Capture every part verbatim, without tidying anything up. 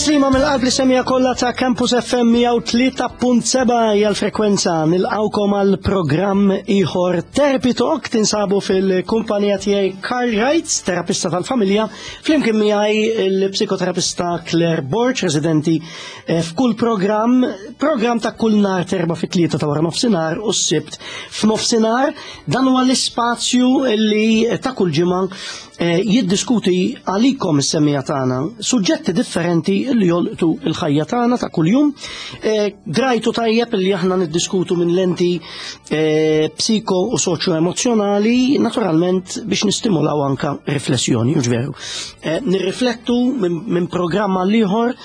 Tislima mill-qalb lis-semmiegħa kollha ta' Campus F M mija u tlieta punt sebgħa hija l-frekwenza. Nilqgħukom għal programm ieħor, Therapy Talk. Tinsabu fil-kumpanija tiegħi Carl Wrights, terapista tal-familja, flimkien miegħi il-psikoterapista Claire Borg, residenti eh, f'kull programm, programm ta' kull nhar t'Erbgħa fit-tlieta ta' wara nofsinhar u s-Sibt f'nofsinhar. Dan huwa l-ispazju li ta' kull ġimgħa eh, jiddiskuti għalikom is-semmiegħa tagħna suġġetti differenti li jolqtu il-ħajja tagħna ta' kuljum. Eh, Drajtu tajjeb li aħna niddiskutu minn lenti eh, psiko u soċjo-emozjonali, naturalment biex nistimulaw anka riflessjoni, hux veru? Eh, Nirriflettu minn min programm għal ieħor,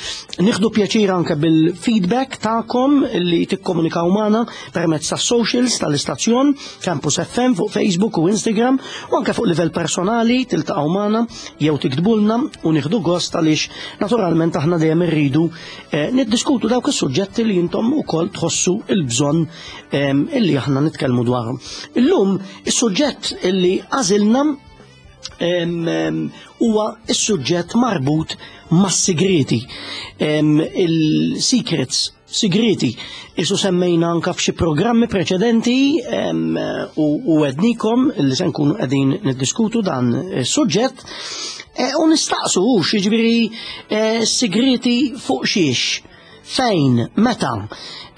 nieħdu pjaċir anke bil-feedback tagħkom li tikkomunikaw magħna permezz tas socials tal-istazzjon Campus F M fuq Facebook u Instagram u anke fuq livell personali tiltaqgħu magħna jew tiktbulna u nieħdu gost, għaliex naturalment aħna dejjem irridu eh, niddiskutu dawk is-suġġetti li intom ukoll tħossu il-bżonn em, illi aħna nitkellmu dwarhom. Illum is-suġġett illi għażilna em, em, huwa is-suġġett marbut mas-sigreti. Em, Il-secrets, sigreti, isu semmejna anka f'xi programmi preċedenti em, u, u għednikom li se nkunu qegħdin niddiskutu dan is-suġġett e, u nistaqsu hux, jiġifieri e, sigreti fuq xiex, fejn, meta.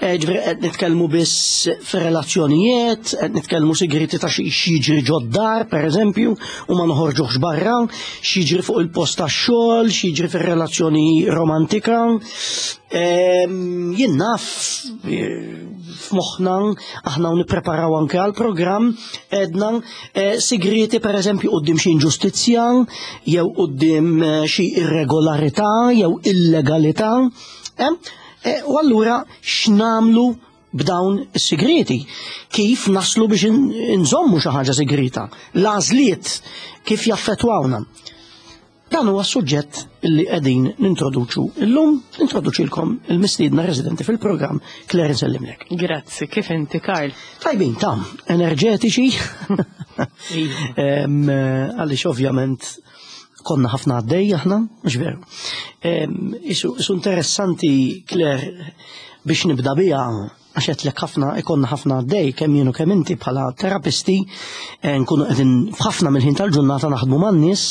E, Ġifieri qed nitkellmu biss fir-relazzjonijiet, qed nitkellmu sigreti ta' xi jiġri ġod-dar, per eżempju, u ma noħorġuhx barra, x'jiġri fuq il-post tax-xogħol, x'jiġri fir-relazzjoni romantika. Em, Jien naf eh, f'moħħna aħna u nippreparaw anke għal programm edna eh, sigreti, per eżempju, quddiem xi inġustizzja jew quddiem eh, xi irregolarità jew illegalità. Eh? Eh, U allura x'namlu b'dawn is-sigreti? Kif naslu biex in- inżommu xi ħaġa sigrita? L-għażliet kif jaffettwawna? Dan huwa suġġett li qegħdin nintroduċu illum, nintroduċilkom il-mistiedna residenti fil-programm, Claire, nsellimlek. Grazzi, kif inti, Karl? Tajbin, tam, enerġetiċi. Em, eh, Għaliex ovvjament konna ħafna għaddej aħna, mhux veru? Em, Isu isu interessanti, Claire, biex nibda bija, għax għedtlek ħafna, ikonna ħafna għaddej, kemm jien u kemm inti bħala terapisti, eh, nkunu qegħdin f'ħafna mill-ħin tal-ġurnata naħdmu man-nies,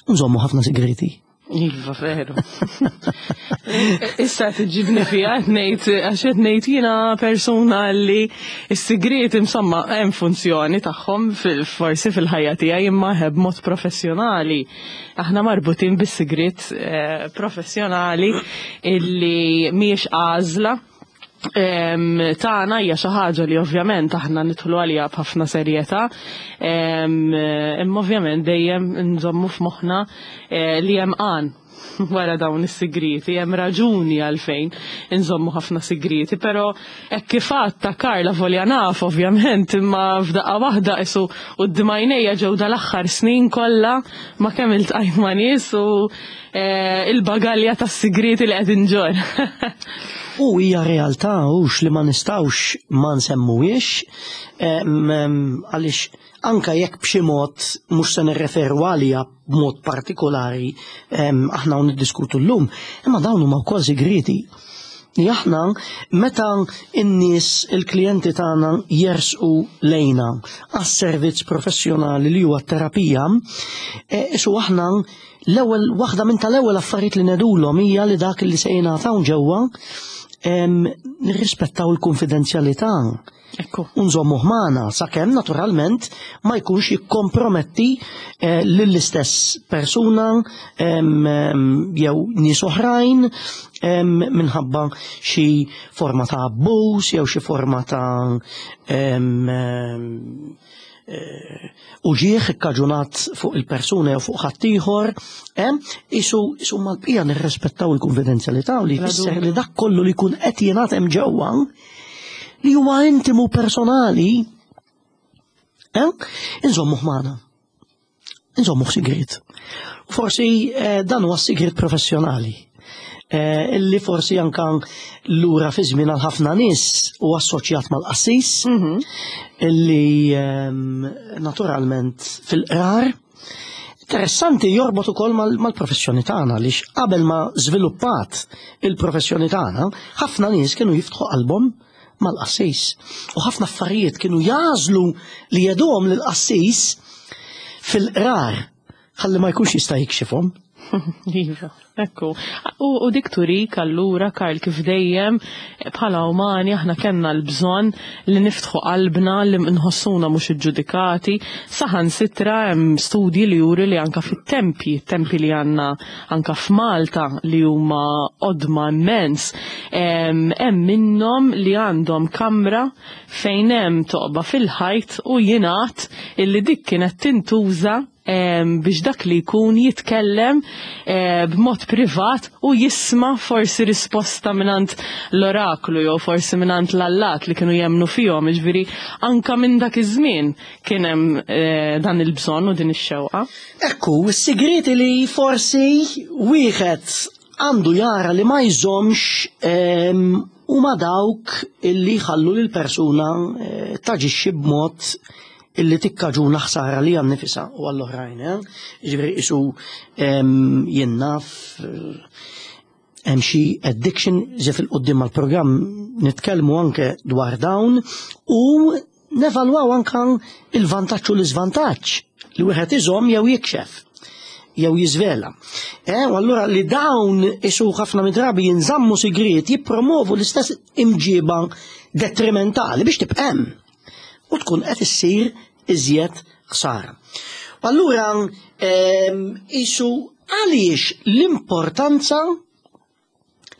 u nżommu ħafna segreti. Iva, veru. Issa tġibni fija, ngħid, għax qed ngħid jiena persuna li s-sigriet insomma hemm funzjoni tagħhom fil- forsi fil-ħajja tiegħi, imma b'mod professjonali. Aħna marbutin bis-sigriet eh, professjonali illi mhijiex għażla Em, tagħna, hija xi ħaġa li ovvjament aħna nidħlu għalija b'ħafna serjetà, em, imma ovvjament dejjem nżommu f'moħħna eh, li hemm għan wara dawn is-sigriti, hemm raġuni għalfejn inżommu ħafna sigriti, però hekk kif ta' Karla volja naf ovvjament, imma f'daqqa waħda isu quddiem għajnejja ġew dal-aħħar snin kollha ma' kemm iltqajt ma' nies u eh, il-bagalja tas-sigriti li qed inġorr. U hija realtà hux li ma nistgħux ma nsemmuhiex, em, em, għaliex anka jekk b'xi mod mhux se nirreferu għalija b'mod partikolari em, aħna u niddiskutu llum, imma dawn huma wkoll sigreti. Li aħna meta n-nies, il-klijenti tagħna, jersqu lejna għas-servizz professjonali li huwa terapija, e, isu aħna l-ewwel waħda minn tal-ewwel affarijiet li ngħidulhom hija li dak li se jingħataw ġewwa em, nirrispettaw il-konfidenzjalità. Ekku. Unżommu magħna, sakemm naturalment ma jkunx jikkomprometti eh, lill-istess persuna em, em, jew nies oħrajn em, minħabba xi forma ta' abbuż jew xi forma ta' em, em, eh, uġieħ ikkaġunat fuq il-persuna jew fuq ħaddieħor, em, isu isu mal-bqija nirrispettaw il-konfidenzjalità u li jfisser li dak kollu li jkun qed jingħad hemm ġewwa li huwa intimu, personali, eh? Inżommu magħna. Inżommu sigrit. Forsi eh, dan huwa sigrit professjonali. Eh, illi forsi anka lura fi żmien għal ħafna nies u assoċjat mal-qassis, illi ehm, naturalment fil-qrar Interessanti, jorbot ukoll mal-professjoni tagħna, għaliex qabel ma żviluppat il-professjoni tagħna, ħafna nies kienu jiftħu qalbhom mal-qassis. U ħafna affarijiet kienu jagħżlu li jgħiduhom lill-qassis fil-qrar ħalli ma jkunx jista' jikxifhom. Iva, ekku. U, u dik turik allura, Karl, kif dejjem bħala umani aħna kellna l-bżonn li niftħu qalbna, li nħossuna mhux iġġudikati. Saħansitra hemm studji li juri li anka fit-tempji, tempi li għandna anka f'Malta li huma qodma immens, hemm minnhom li għandhom kamra fejn hemm toqba fil-ħajt u jingħad illi dik kienet tintuża biex dak li jkun jitkellem eh, b'mod privat u jisma' forsi risposta mingħand l-oraklu jew forsi mingħand l-allat li kienu jemnu fihom, jiġifieri anka minn dak iż-żmien kien hemm eh, dan il-bżonn u din ix-xewqa. Ekku, is-sigriti li forsi wieħed għandu jara li ma jżomx huma dawk illi jħallu lil persuna eh, taġixxi b'mod illi tikkaġuna ħsara li għan nifisa u għall-oħrajn. Eh? Ġifieri isu jien naf hemm xi addiction ġe fil-qoddim mal-programm nitkellmu anke dwar dawn u nevalwaw anke il-vantaġġ u l-iżvantaġġ li wieħed iżomm jew jikxef jew jiżvela. Eh, u allura li dawn isu ħafna midrabi jinżammu sigriet jippromovu l-istess imġiba detrimentali biex tibqa' hemm u tkun qed issir iżjed ħsara. U allura isu għaliex l-importanza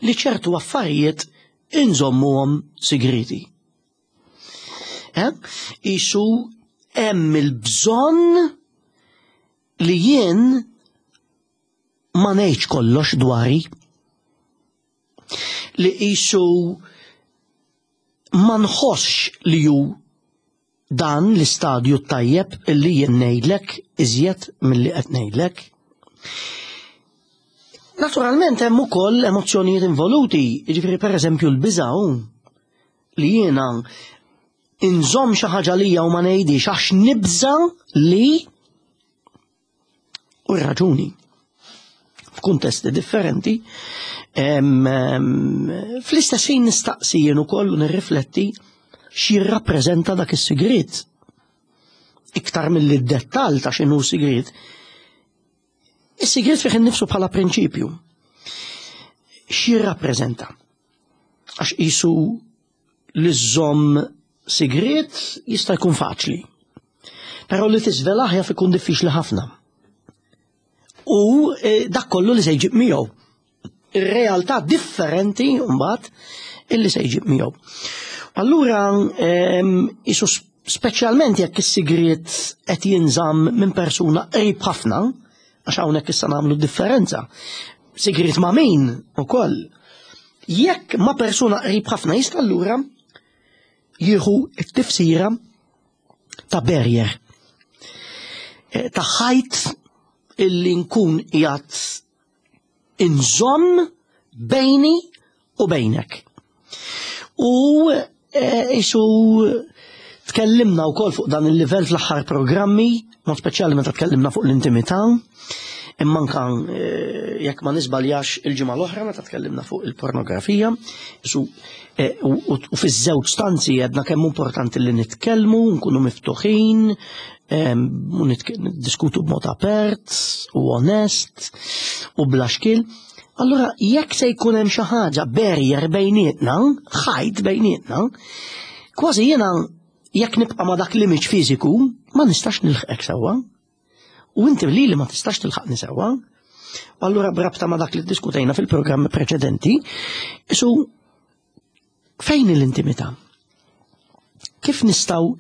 li ċertu affarijiet inżommuhom sigriti. Eh? Isu hemm il-bżonn li jien ma ngħidx kollox dwari, li isu ma nħossx li ju dan l-istadju tajjeb illi jien ngħidlek iżjed milli qed ngħidlek. Naturalment hemm ukoll emozzjonijiet involuti, jiġifieri pereżempju l-biża' li jiena inżomm xi ħaġa lija u ma ngħidix għax nibża li u raġuni f'kuntesti differenti. Fl-istess ħin nistaqsi jien ukoll u nirrifletti x'jirrappreżenta dak is-sigriet. Iktar milli d-dettall ta' x'inhu sigriet, is-sigriet fih innifsu bħala prinċipju. X'jirrappreżenta? Għax qisu li żżomm sigriet jista' jkun faċli. Però li tiżvelah jaf ikun diffiċli ħafna. U dak kollu li se jġib miegħu. Ir-realtà differenti mbagħad illi se jġib miegħu. Allura isu speċjalment jekk is-sigriet qed jinżamm minn persuna qrib ħafna, għax hawnhekk issa nagħmlu differenza. Sigriet ma' min ukoll. Jekk ma' persuna qrib ħafna jista' allura jieħu t-tifsira ta' barrier, ta' ħajt illi nkun qiegħed inżomm bejni u bejnek. U isu tkellimna wkoll fuq dan il-livell fl-aħħar programmi, mod speċjali meta tkellimna fuq l-intimità, imma anka jekk ma nisbaljax il-ġimgħa l-oħra meta tkellimna fuq il-pornografija, isu u fiż-żewġ stanzi għedna kemm importanti li nitkellmu, nkunu miftuħin, u niddiskutu b'mod apert u onest u bla xkil. Allura jekk se jkun hemm xi ħaġa barrier bejnietna, ħajt bejnietna, kważi jiena jekk nibqa' ma' dak l-image fiżiku ma nistax nilħqek sewwa. U inti li li ma tistax tilħaqni sewwa. U allura b'rabta ma' dak li ddiskutejna fil-programm preċedenti, isu fejn l-intimità? Kif nistgħu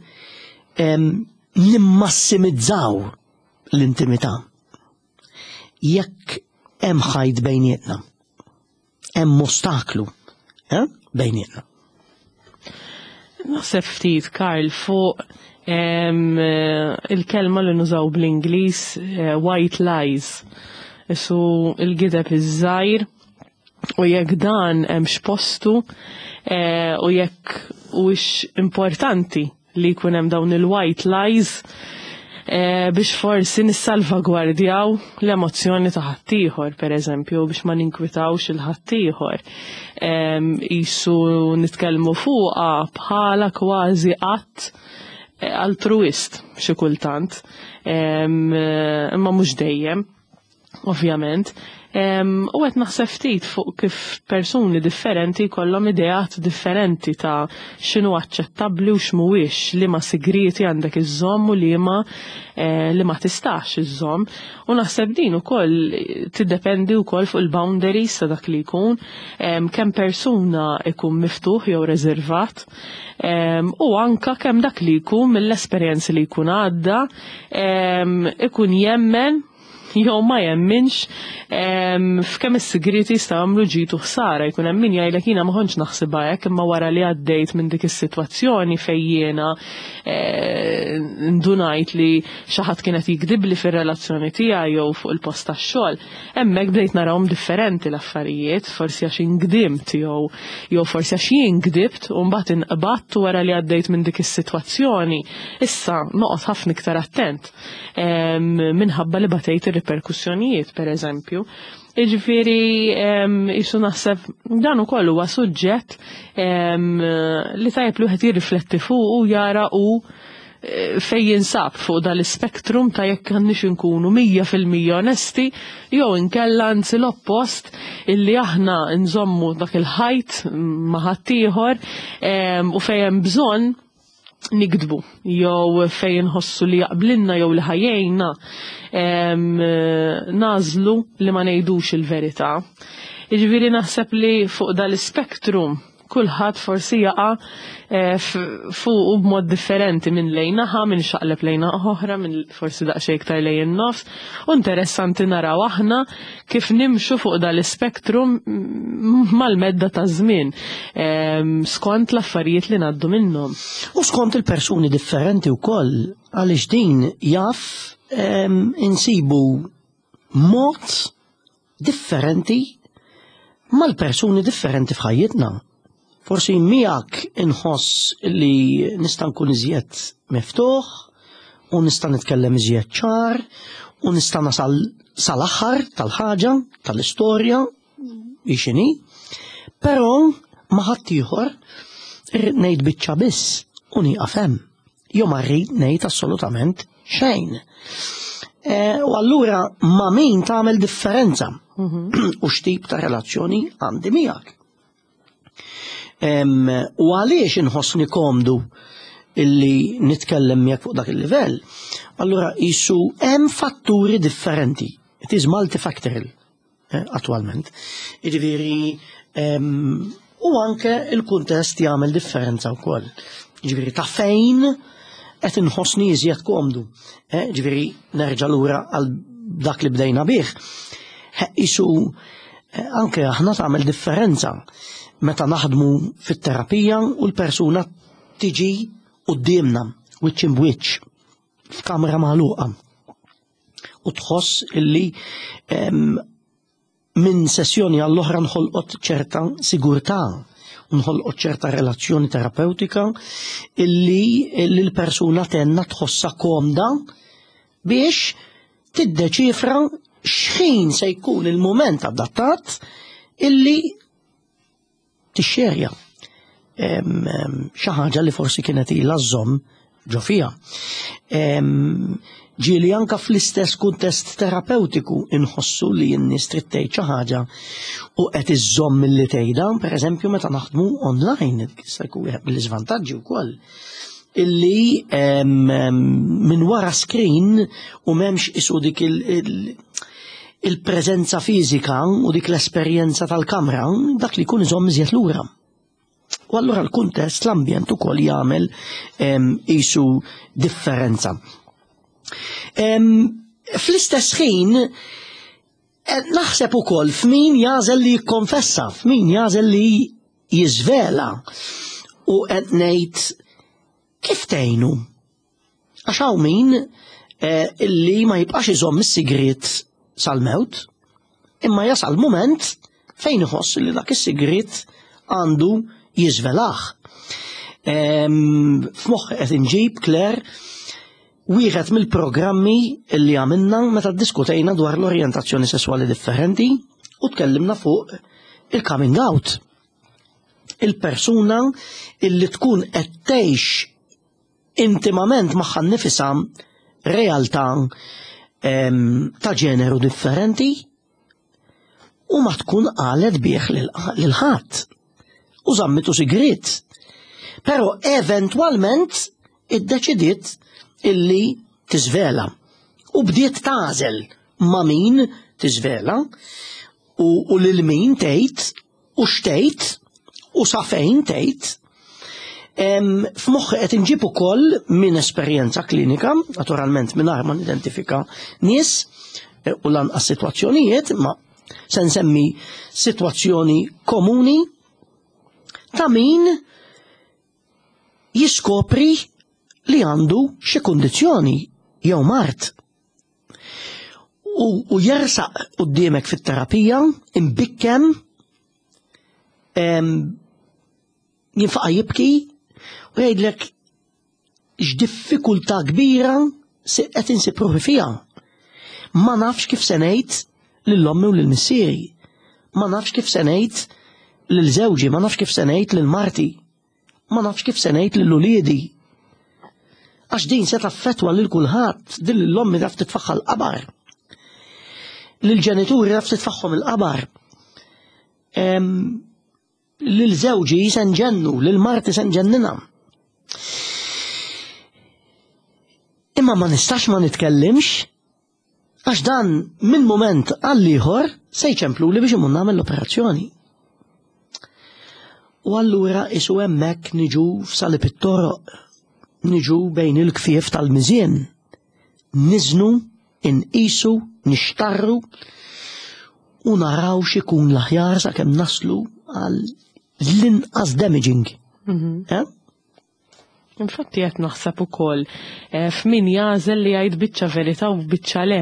nimmassimizzaw l-intimità? Jekk hemm ħajt bejnietna, hemm ostaklu eh, bejnietna. Naħseb ftit, Karl, fuq il-kelma li nużaw bl-Ingliż white lies. Isu il-gideb iż-żgħir u jekk dan hemm x'postu u jekk huwiex importanti li jkun hemm dawn il-white lies. eh, biex forsi nissalvagwardjaw l-emozzjoni ta' ħaddieħor, pereżempju, biex ma ninkwitawx il-ħaddieħor. Isu nitkellmu fuqha bħala kważi att eh, altruist xi kultant, imma mhux dejjem, ovvjament. U qed naħseb ftit fuq kif persuni differenti jkollhom ideat differenti ta' x'inhu aċċettabbli u x'mhuwiex, li ma sigrieti għandek iżżomm u li ma eh, li ma tistax iżżomm. U naħseb din ukoll tiddependi wkoll fuq il-boundaries ta' dak li jkun, kemm persuna ikun miftuħ jew reservat, u anka kemm dak li jkun mill-esperjenzi li jkun għadda ikun jemmen jew ma jemminx f'kemm is-sigriti jistgħu jagħmlu ġid u ħsara. Jkun hemm min jgħidlek jiena ma kontx naħsibha hekk, imma wara li għaddejt minn dik is-sitwazzjoni fejn jiena eh, ndunajt li xi ħadd kien qed jikdibli fir-relazzjoni tiegħi jew fuq il-post tax-xogħol, hemmhekk bdejt narahom differenti l-affarijiet, forsi għax ingdimt jew jew forsi għax jien gdibt u mbagħad inqbadt wara li għaddejt minn dik is-sitwazzjoni. Issa noqgħod ħafna iktar attent minħabba li batejt ir-riperkussjonijiet, per eżempju. Iġifieri, jisu naħseb dan ukoll huwa suġġett li tajjeb li wieħed jirrifletti fuq u jara u e, fej jinsab fuq dal-spektrum ta' jekk għandniex inkunu mija fil-mija onesti jew inkella anzi l-oppost, illi aħna nżommu dak il-ħajt ma' ħaddieħor u fejn hemm bżonn nikdbu jew fejn nħossu li jaqblinna jew li ħajjejna nażlu li ma ngħidux il-verità. Jiġifieri naħseb li fuq dal-spektrum kulħadd forsi jaqa' eh, fuq u b'mod differenti, minn lejn naħa, minn xaqleb lejn oħra, minn forsi daqsxejn iktar lejn in-nofs. U interessanti naraw aħna kif nimxu fuq dal-spektrum mal-medda ta' żmien skont l-affarijiet li ngħaddu minnhom. U skont il-persuni differenti wkoll, għaliex din jaf insibu mod differenti mal-persuni differenti f'ħajjitna. Forsi miegħek inħoss li nista' nkun iżjed miftuħ u nista' nitkellem iżjed ċar u nista' nasal sal-aħħar tal-ħaġa, tal-istorja, x'inhi, però ma' ħaddieħor irrid ngħid biċċa biss u nieqaf hemm. Jew ma rrid ngħid assolutament xejn. E, u allura ma' min tagħmel differenza u x'tip ta' relazzjoni għandi miegħek. U għaliex inħossni komdu illi nitkellem miegħek fuq dak il-livell? Allura jisu hemm fatturi differenti. It is multifactorial eh, attualment. Jiġifieri u anke il-kuntest jagħmel differenza wkoll. Jiġifieri ta' fejn qed inħossni iżjed komdu. Eh, jiġifieri nerġa' lura għal dak li bdejna bih. Isu eh, anke aħna tagħmel differenza meta naħdmu fit-terapija u l-persuna tiġi quddiemna wiċċ imbwiċċ f'kamra magħluqa u tħoss illi minn sessjoni għall-oħra nħolqot ċerta sigurtà, nħolqot ċerta relazzjoni terapeutika illi l-persuna tenna tħossa komda biex tiddeċifra x'ħin se jkun il-moment adattat illi tixxerja xi ħaġa li forsi kienet ilha żżomm ġo fiha. Ġieli anka fl-istess kuntest terapeutiku inħossu li n-nies trid tgħid xi ħaġa u qed iżżomm milli tgħidha, pereżempju meta naħdmu online, jista' jkun wieħed mill-iżvantaġġi wkoll illi minn wara screen u m'hemmx isu dik il-preżenza fiżika u dik l-esperjenza tal-kamra, dak li jkun iżomm iżjed lura. U allura l-kuntest, l-ambjent ukoll jagħmel isu differenza. Fl-istess ħin, naħseb ukoll f'min jagħżel li jikkonfessa, f'min jagħżel li jiżvela u qed ngħid kif tgħinu. Għax hawn min eh, illi ma jibqax iżomm is-sigriet sal-mewt, imma jasal moment fejn iħoss li dak is-sigriet għandu jiżvelah. F'moħħ qed inġib, Claire, wieħed mill-programmi li għamilna meta ddiskutejna dwar l-orjentazzjoni sesswali differenti u tkellimna fuq il-coming out. Il-persuna illi tkun qed tgħix intimament magħha nnifisha realtà em, ta' ġeneru differenti u ma tkun qalet bih lil ħadd u żammitu sigrit. Però eventwalment iddeċidiet illi tiżvela u bdiet tagħżel ma' min tiżvela u, u lil min tgħid u x'tgħid u sa fejn tgħid. F'moħħi qed inġib ukoll minn esperjenza klinika, naturalment mingħajr ma nidentifika nies eh, u lanqas sitwazzjonijiet, ma se nsemmi sitwazzjoni komuni ta' min jiskopri li għandu xi kundizzjoni jew mard. U, u jersaq quddiemek fit-terapija imbikkem em, jinfaqa' jibki u jgħidlek x'diffikultà kbira se qed insib ruħi fiha. Ma nafx kif se ngħid lil ommi u lil missieri. Ma nafx kif se ngħid lil żewġi, ma nafx kif se ngħid lil marti. Ma nafx kif se ngħid lil uliedi. Għax din se taffettwa lil kulħadd, din lil ommi taf titfaħħa l-qabar. Lil ġenituri taf titfaħħhom il-qabar. Em, Lil żewġi se nġennu, lil marti se nġennina. Imma ma nistax ma nitkellimx għax dan minn moment għal ieħor se jċempluli biex imur nagħmel l-operazzjoni. U allura isu hemmhekk niġu f'salib it-toroq, niġu bejn il-kfief tal-miżien, niżnu, inqisu, nixtarru u naraw x'ikun l-aħjar sakemm naslu għal l-inqas damaging. Eh? Infatti qed naħseb ukoll eh, f'min jagħżel li jgħid biċċa verità u biċċa le.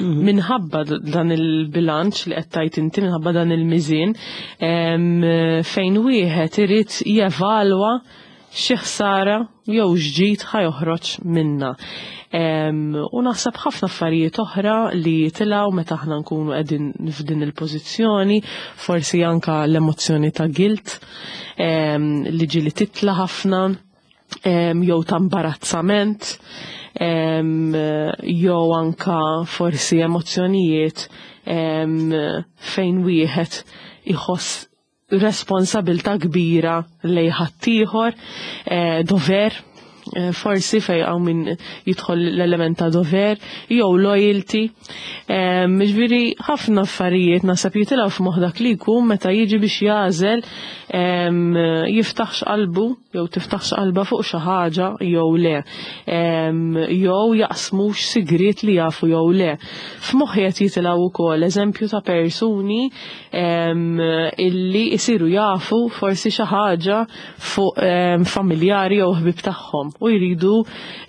Minħabba d- dan il-bilanċ li qed tgħid inti, minħabba dan il-miżien, em, fejn wieħed irid jevalwa xi ħsara jew x'ġid ħa joħroġ minna. Em, u naħseb ħafna affarijiet oħra li jitilgħu meta aħna nkunu qegħdin f'din il-pożizzjoni, forsi anka l-emozzjoni ta' guilt, em, li ġieli titla' ħafna, em, jew ta' imbarazzament, em, jew anka forsi emozzjonijiet em, fejn wieħed iħoss responsabilta kbira lejn ħaddieħor, eh, dover, eh, forsi fej hawn min jidħol l-element ta' dover, jew loyalty. Em, Ġifieri ħafna affarijiet naħseb jitilgħu f'moħħ dak li jkun meta jiġi biex jagħżel em, jiftaħx qalbu jew tiftaħx qalba fuq xi ħaġa jew le. Em, Jew jaqsmux sigriet li jafu jew le. F'moħħi qed jitilgħu wkoll eżempju ta' persuni em, illi jsiru jafu forsi xi ħaġa fuq em, familjari jew ħbieb tagħhom u jridu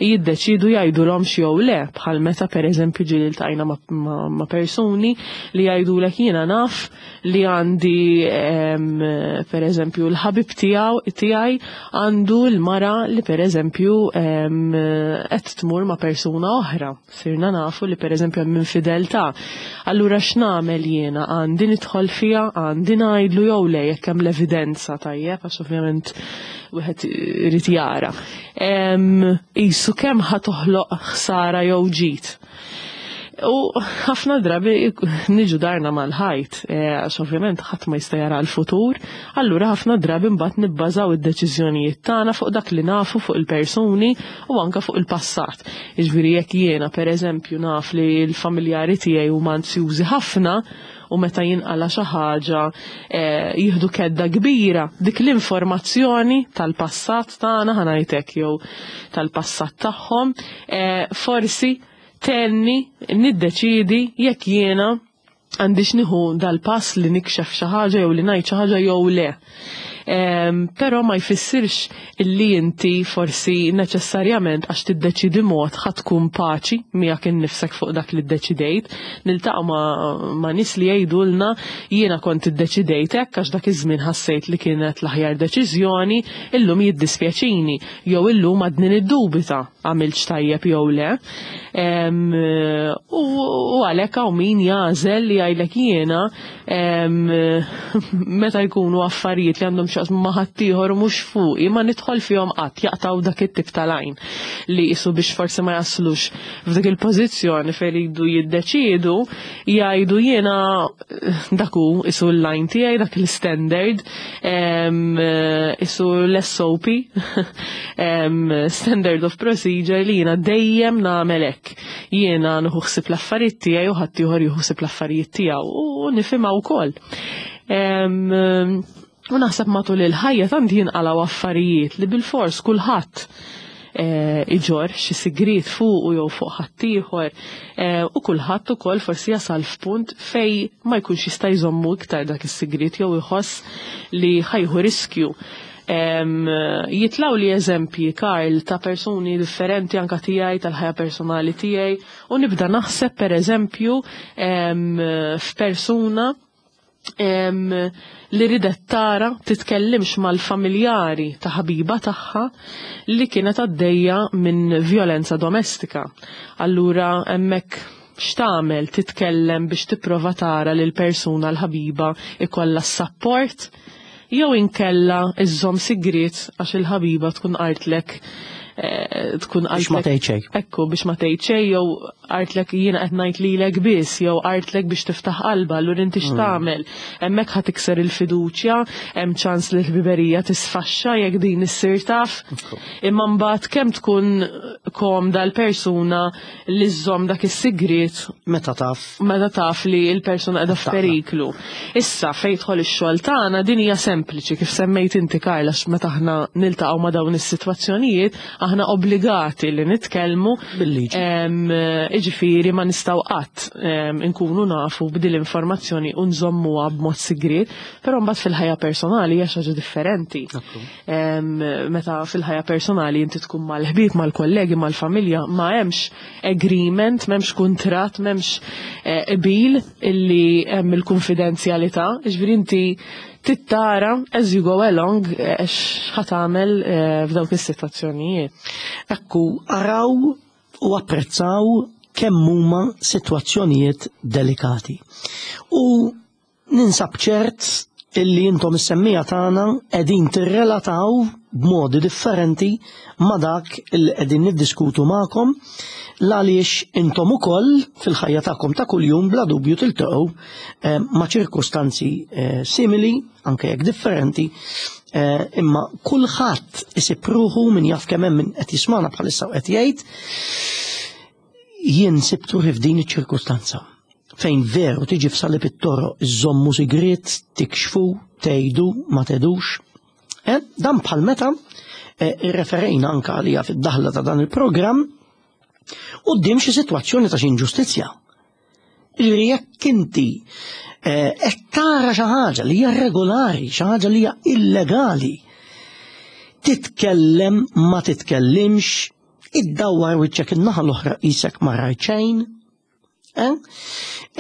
jiddeċidu jgħidulhom jew le, bħal meta pereżempju ġieli ltqajna ma, ma, ma persuni li jgħidulek jiena naf li għandi em, pereżempju l-ħabib tiegħu tiegħi għandu l-mara li pereżempju em, qed tmur ma' persuna oħra. Sirna nafu li pereżempju hemm infideltà. Allura x'nagħmel jiena? Għandi nidħol fiha, għandi ngħidlu jew le jekk hemm l-evidenza tajjeb, għax ovvjament wieħed irid jara. Em, Isu kemm ħa toħloq ħsara jew ġid. U ħafna drabi niġu darna mal-ħajt, eh, għax ovvjament ħadd ma jista' jara l-futur, allura ħafna drabi mbagħad nibbażaw id-deċiżjonijiet tagħna fuq dak li nafu fuq il-persuni u anke fuq il-passat. Jiġifieri jekk jiena pereżempju naf li l-familjari tiegħi huma ansjużi ħafna u meta jinqala xi ħaġa eh, jieħdu kedda kbira, dik l-informazzjoni tal-passat tagħna ħa ngħidlek jew tal-passat tagħhom, eh, forsi tenni niddeċidi jekk jiena għandix nieħu dal-pass li nikxef xi ħaġa jew li ngħid xi ħaġa jew le. Em, Però ma jfissirx illi inti forsi neċessarjament għax tiddeċidi mod ħa tkun paċi miegħek innifsek fuq dak li ddeċidejt. Niltaqgħu ma, ma nies li jgħidulna jiena kont iddeċidejt hekk għax dak iż-żmien ħassejt li kienet l-aħjar deċiżjoni, illum jiddispjaċini jew illum għadni niddubita għamilx tajjeb jew le. U għalhekk hawn min jagħżel li jgħidlek jiena meta jkunu affarijiet li għandhom x'jaqsmu ma' ħaddieħor u mhux fuqi ma nidħol fihom qatt, jaqtaw dak it-tip tal-għajn li qisu biex forsi ma jaslux f'dik il-pożizzjoni fejn iridu jiddeċiedu, jgħidu jiena dak hu isu l-line tiegħi, dak l-standard, isu l-S O P, Standard of Procedure, li jiena dejjem nagħmel hekk. Jiena nieħu ħsieb l-affarijiet tiegħi u ħaddieħor jieħu ħsieb l-affarijiet tiegħu u nifhimha wkoll. U naħseb matul il-ħajja tant jinqalgħu affarijiet li bilfors kulħadd eh, iġorr xi sigriet fuq jew fuq ħaddieħor eh, u kulħadd ukoll forsi jasal f'punt fej ma jkunx jista' jżommu iktar dak is-sigriet jew iħoss li ħa jieħu riskju. Jitilgħu li eżempji, Karl, ta' persuni differenti, anka tiegħi, tal-ħajja personali tiegħi, u nibda naħseb per eżempju f'persuna li ridet tara titkellimx mal-familjari ta' ħabiba tagħha li kienet għaddejja minn violenza domestika. Allura hemmhekk x'tagħmel? Titkellem biex tipprova tara lil persuna l-ħabiba ikollha s-support jew inkella iżżomm sigriet għax il-ħabiba tkun qaltlek eh, tkun Biex ma tgħid xejn. Ekku, biex ma tgħid xejn, jew qaltlek jiena qed ngħid lilek biss, jew qaltlek biex tiftaħ qalba, allura inti x'tagħmel? Hemmhekk ħa tikser il-fiduċja, hemm ċans li l-ħbiberija tisfaxxa jekk din issir taf. Imma mbagħad kemm tkun komda l-persuna li żżomm dak is-sigriet Meta taf. meta taf li l-persuna qiegħda f'periklu. Issa fejn jidħol ix-xogħol tagħna, din hija sempliċi, kif semmejt inti, Karla, għax meta aħna niltaqgħu ma' dawn is-sitwazzjonijiet aħna obbligati li nitkellmu Bil-liġi. Em, Iġifieri ma nistgħu qatt em, inkunu nafu b'dil informazzjoni u nżommuha b'mod sigriet, però mbagħad fil-ħajja personali hija xi ħaġa differenti. Em, Meta fil-ħajja personali inti tkun mal-ħbieb, mal-kollegi, mal-familja, ma hemmx agreement, m'hemmx kuntratt, m'hemmx eh, qbil illi hemm il-konfidenzjalità, ġifieri inti tittara as you go along eh, x'ħa tagħmel eh, f'dawk is-sitwazzjonijiet. Ekku, araw u apprezzaw kemm huma sitwazzjonijiet delikati. U ninsab ċert illi intom is-semmiegħa tagħna qegħdin tirrelataw b'modi differenti ma' dak illi qegħdin niddiskutu magħkom, għaliex intom ukoll fil-ħajja tagħkom ta' kuljum bla dubju tiltaqgħu eh, ma' ċirkustanzi eh, simili, anke jekk differenti, eh, imma kulħadd isib ruħu. Min jaf kemm hemm min qed jismana bħalissa u qed jgħid, "Jien sibt ruħi f'din iċ-ċirkustanza fejn veru tiġi f'salib it-toroq, iżommu sigriet, tikxfu, tgħidu, ma tgħidux." Eh, dan bħal meta eh, irreferejna anka għalija fid-daħla ta' dan il-programm quddiem xi sitwazzjoni ta' xi inġustizzja. Ġifieri jekk inti eh, qed tara xi ħaġa li hija regolari, xi ħaġa li hija illegali, titkellem, ma titkellimx, iddawwar wiċċek in-naħa l-oħra qisek ma rajt xejn. Eh?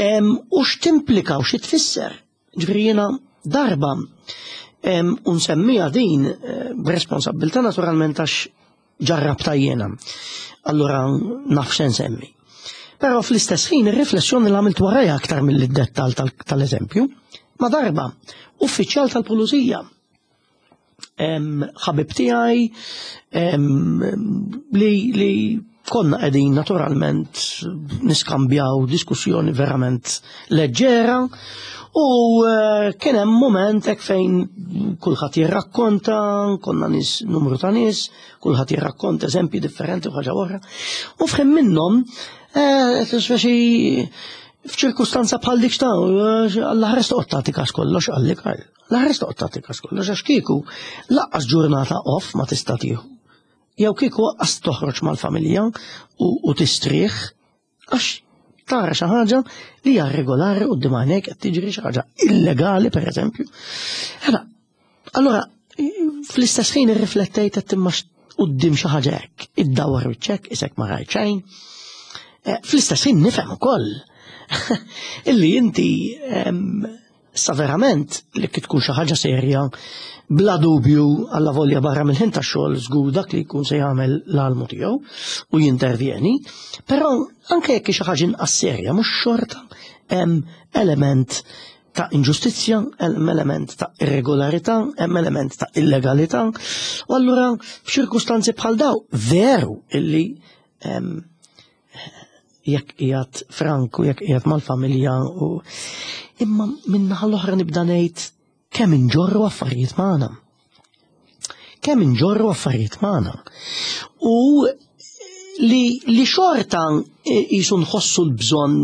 Em, U x'timplika u xi tfisser? Ġifieri jiena darba em, u nsemmija din eh, b'responsabbiltà naturalment għax ġarrabta jiena. Allura naf x'se nsemmi. Però fl-istess ħin ir-riflessjoni li għamilt warajha aktar mill-dettal tal-eżempju, ma darba uffiċjal tal-pulizija em, ħabib tiegħi em, li, li konna qegħdin naturalment niskambjaw diskussjoni verament leġġera u eh, kien hemm moment hekk fejn kulħadd jirrakkonta, konna nies, numru ta' nies, kulħadd jirrakkonta eżempji differenti u ħaġa oħra. U f'ħin minnhom eh, speċi f'ċirkustanza bħal dik ta' "Alla ħares toqgħod tagħti każ kollox," qalli Karl. "Alla ħares toqgħod tagħti każ kollox, għax kieku lanqas ġurnata off ma tista' tieħu. Jew kieku lanqas toħroġ mal-familja u, u tistrieħ għax tara xi ħaġa li hija regolari quddiem għajnejk, qed tiġri xi ħaġa illegali, pereżempju." Allora, allora fl-istess ħin irriflettejt qed imma quddiem xi ħaġa hekk, iddawwar wiċċek qisek ma rajt xejn. Eh, Fl-istess ħin nifhem ukoll illi inti em, Issa verament li tkun xi ħaġa serja, bla dubju alla volja barra mill-ħin tax-xogħol żgur dak li jkun se jagħmel l-almu tiegħu u jintervjeni, però anke jekk xi ħaġa inqas serja mhux xorta hemm element ta' inġustizzja, hemm element ta' irregolarità, hemm element ta' illegalità, u allura f'ċirkustanzi bħal daw veru illi jekk qiegħed frank u jekk qiegħed mal-familja u imma min-naħa l-oħra nibda ngħid kemm inġorru affarijiet magħna. Kemm inġorru affarijiet magħna. U li, li xorta jisu nħossu l-bżonn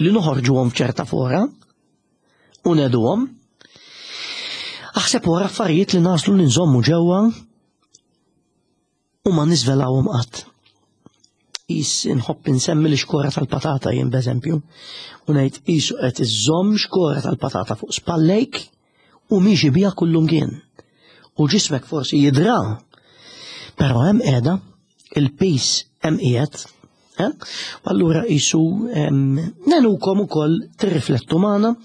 li noħorġuhom f'ċerta fora u ngħiduhom. Aħseb wara affarijiet li naslu li nżommu ġewwa u ma niżvelawhom qatt. Is nħobb insemmi l-xkora tal-patata jien b'eżempju, u ngħid qisu qed iżżomm xkora tal-patata fuq spallejk u miexi biha kullumkien. U ġismek forsi jidra, però hemm qiegħda, il-pis hemm qiegħed, eh? U allura qisu nenukom ukoll tirriflettu magħna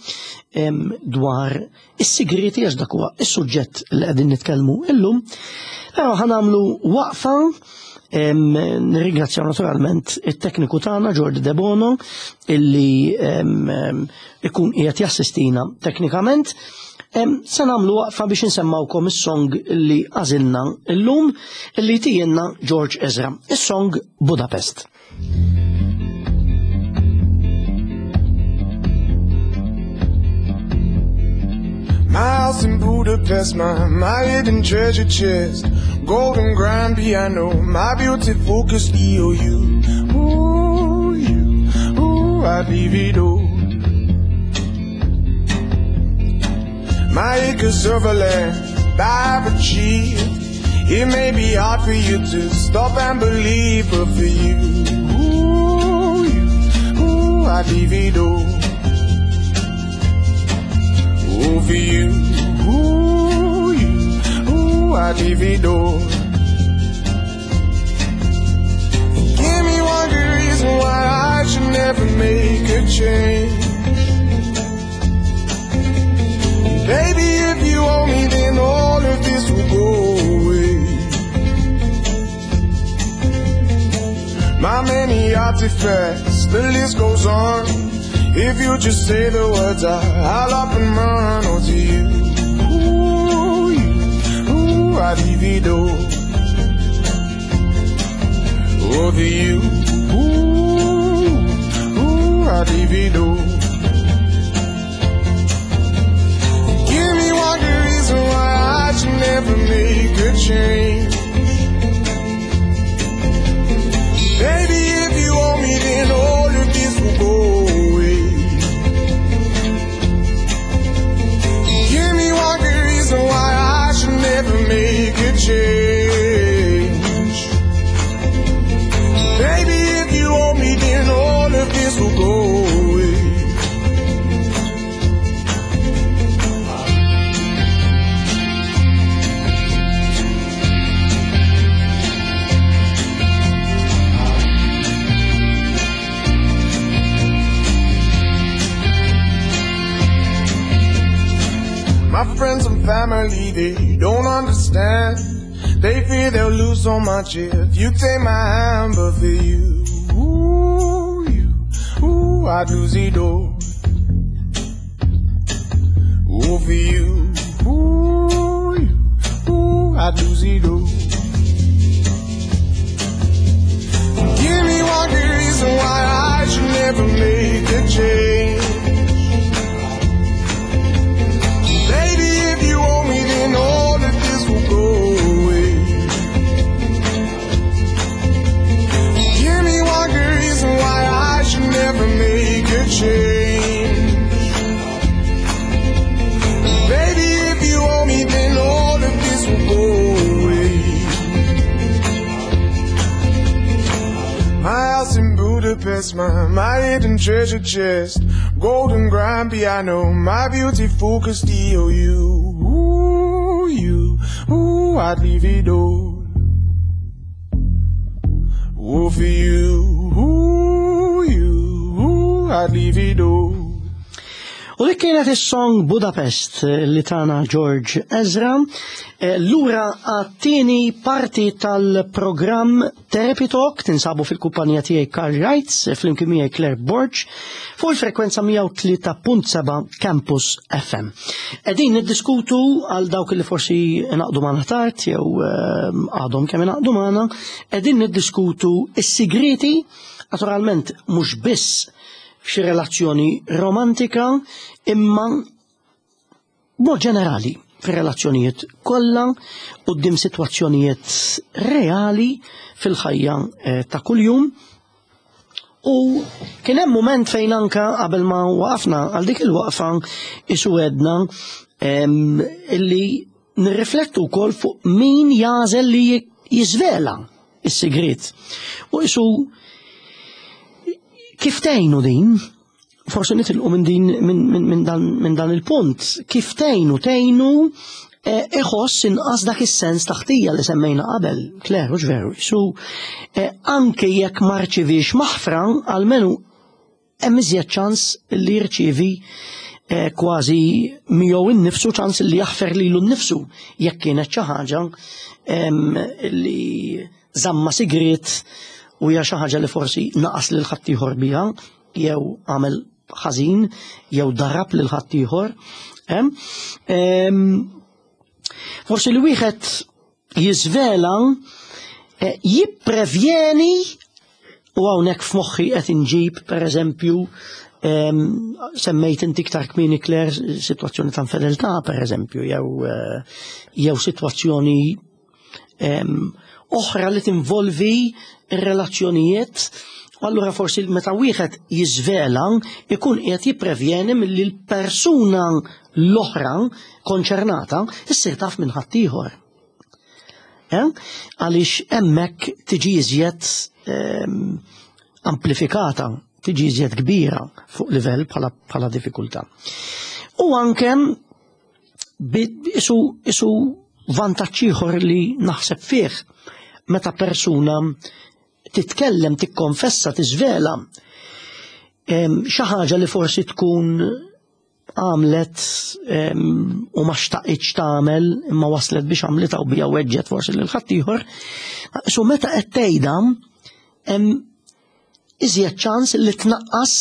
dwar is-sigriti għax dak huwa is-suġġett li qegħdin nitkellmu illum. Però ħa nagħmlu waqfa. Nirringrazzjaw naturalment it-tekniku tagħna Jordi De Bono illi ikun qiegħed jassistina teknikament. Se nagħmlu waqfa biex insemmawkom is-song li għażilna illum illi tijienna George Ezra, is-song Budapest. My house in Budapest, my, my hidden treasure chest, golden grand piano, my beautiful Castillo, you, ooh, you, ooh, I'd leave it all. My acres of land I've achieved, it may be hard for you to stop and believe, but for you, ooh, you, ooh, I'd leave it all. Oh, for you, ooh, you, ooh, I'd leave it all. Give me one good reason why I should never make a change. Baby, if you owe me, then all of this will go away. My many artifacts, the list goes on. If you just say the words, I, I'll up and run. Oh, to you, ooh, you, ooh, I'd leave it all. Oh, to you, ooh, ooh, I'd leave it all. Give me one good reason why I should never make a change. Baby, if you owe me, then all of this will go away. Give me one good reason why I should never make a change. Baby, if you owe me, then all of this will go away. My friends and family, they don't understand. They fear they'll lose so much if you take my hand. But for you, ooh, you, ooh, I'd lose it all. Ooh, for you, ooh, you, ooh, I'd lose it all. Give me one good reason why I should never make a change. Baby, if you owe me, then all of this will go away. Give me one good reason why I should never make a change. Baby, if you owe me, then all of this will go away. My house in Budapest, my, my hidden treasure chest, golden grand piano, my beautiful Castillo, you, ooh, you, ooh, I'd leave it all. Ooh, for you, ooh, you, ooh, I'd leave it all. U dik kienet is-song Budapest li tana George Ezra. Eh, Lura għat-tieni parti tal-programm Therapy Talk tinsabu fil-kumpanija tiegħi Karl Reitz flimkien miegħi Claire Borg fuq il-frekwenza mija u tlieta punt seba' Campus F M. Qegħdin niddiskutu, għal dawk li forsi naqdu magħna tard jew eh, għadhom kemm ingħaqdu magħna, qegħdin niddiskutu is-sigriti, naturalment mhux biss f'xi relazzjoni romantika, imma mod ġenerali fir-relazzjonijiet kollha quddiem sitwazzjonijiet reali fil-ħajja eh, ta' kuljum. U kien hemm mument fejn anka qabel ma waqafna għal dik il-waqfa isu għedna em, illi nirriflettu wkoll fuq min jagħżel li jiżvela is-sigriet. U isu kif tgħinu din? Forsi nitilqu minn din minn min, min dan, min dan il-punt. Kif tgħinu tgħinu eh, iħoss inqas dak is-sens ta' ħtija li semmejna qabel, Claire, hux veru? Su eh, anke jekk ma rċivix maħfra, almenu hemm iżjed ċans li jirċievi eh, kważi miegħu innifsu, ċans li jaħfer lilu nnifsu jekk kienet xi ħaġa em, li żamma sigriet u hija xi ħaġa li forsi naqas lil ħaddieħor biha jew għamel ħażin jew darab lil ħaddieħor. Em, em, Forsi li wieħed jiżvela eh, jipprevjeni, u hawnhekk f'moħħi qed inġib, pereżempju, em, semmejt inti iktar kmieni, Claire, sitwazzjoni ta' infedeltà, pereżempju, jew eh, jew sitwazzjoni em, oħra li tinvolvi ir-relazzjonijiet. U allura forsi meta wieħed jiżvela ikun qiegħed jipprevjeni milli l-persuna l-oħra konċernata issir taf minn ħaddieħor. Eh? Għaliex hemmhekk tiġi iżjed ehm, amplifikata, tiġi iżjed kbira fuq livell bħala, bħala diffikultà. U anke bi- isu, isu vantaġġ ieħor li naħseb fih meta persuna titkellem, tikkonfessa, tiżvela em, xi ħaġa li forsi tkun għamlet em, u ma xtaqitx tagħmel imma waslet biex għamlitha u bija weġġet forsi lil ħaddieħor. So meta qed tgħidha, hemm iżjed ċans li tnaqqas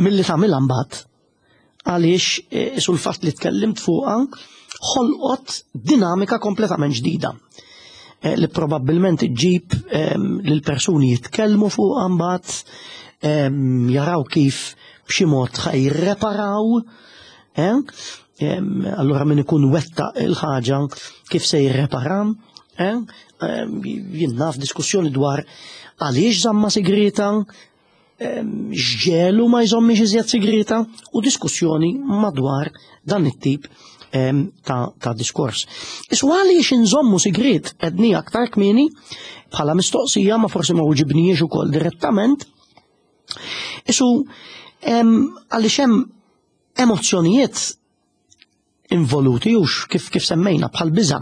milli tagħmilha mbagħad. Għaliex eh, sul fatt li tkellimt fuqha ħolqot dinamika kompletament ġdida eh, li probabbilment iġġib em, lil persuni jitkellmu fuqha mbagħad, em, jaraw kif b'xi mod ħa jirreparaw, eh? Em, allura min ikun wetta il-ħaġa kif se jirrepara, eh? Em, jien naf diskussjoni dwar għaliex żamma sigrita, em, x'ġiegħlu ma jżommix iżjed sigrita u diskussjoni madwar dan it-tip em, ta', ta' diskors. Isu għaliex inżommu sigrit għedni aktar kmieni bħala mistoqsija, ma forsi ma weġibniex ukoll direttament. Isu em, għaliex hemm emozzjonijiet involuti ux kif kif semmejna bħal biża.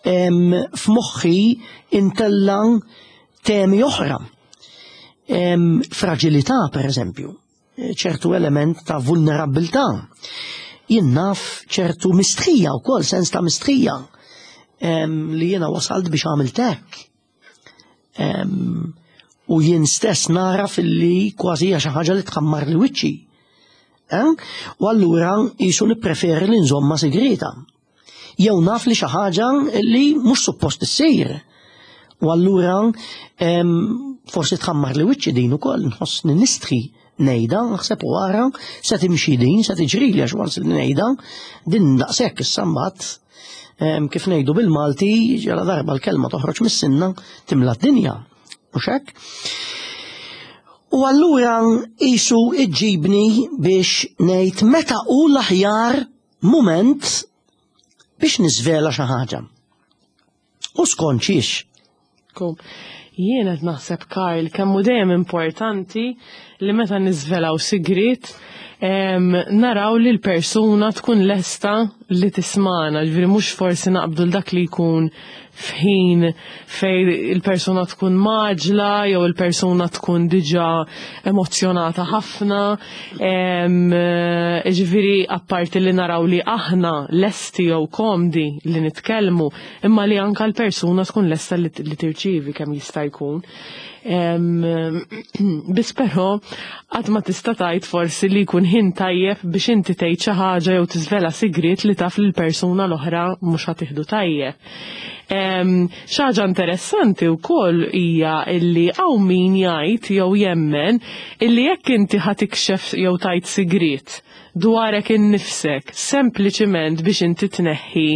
Em, F'moħħi intella temi oħra. Em, Fragilità, per eżempju, ċertu element ta' vulnerabilità. Jien naf ċertu mistħija u kol, sens ta' mistħija em, li jiena wasalt biex għamilt hekk. Em, U jien stess nara fil-li kważi hija xi ħaġa li tħammar li wiċċi. Eh? U allura jisu nippreferi li nżomma segreta. Jew naf li xi ħaġa li mhux suppost issir. U allura em, forsi tħammar li wiċċi din ukoll, nħossni nistħi ngħidha, naħseb u wara se timxi din, se tiġri li għax once li ngħidha, din daqshekk issa mbagħad, em, kif ngħidu bil-Malti, ġala darba l-kelma toħroġ mis-sinna timla d-dinja. Mhux hekk? U allura isu iġġibni biex ngħid meta hu l-aħjar mument biex niżvela xi ħaġa. U skont xiex. Kom. Jien qed naħseb, Karl, kemm hu dejjem importanti li meta niżvelaw sigriet em, naraw li l-persuna tkun lesta li tismana, ġifieri mhux forsi naqbdu l dak li jkun f'ħin fej il-persuna tkun mgħaġġla jew il-persuna tkun diġà emozjonata ħafna. Em, Ġifieri apparti li naraw li aħna lesti jew komdi li nitkellmu, imma li anka l-persuna tkun lesta li, li tirċivi kemm jista' jkun. Em, Biss però qatt ma tista' tgħid forsi li jkun ħin tajjeb biex inti tgħid xi ħaġa jew tiżvela sigriet li taf li l-persuna l-oħra mhux ħa tieħdu tajjeb. Em, Xi ħaġa interessanti wkoll hija illi hawn min jgħid jew jemmen illi jekk inti ħa tikxef jew tgħid sigriet dwarek innifsek sempliċiment biex inti tneħħi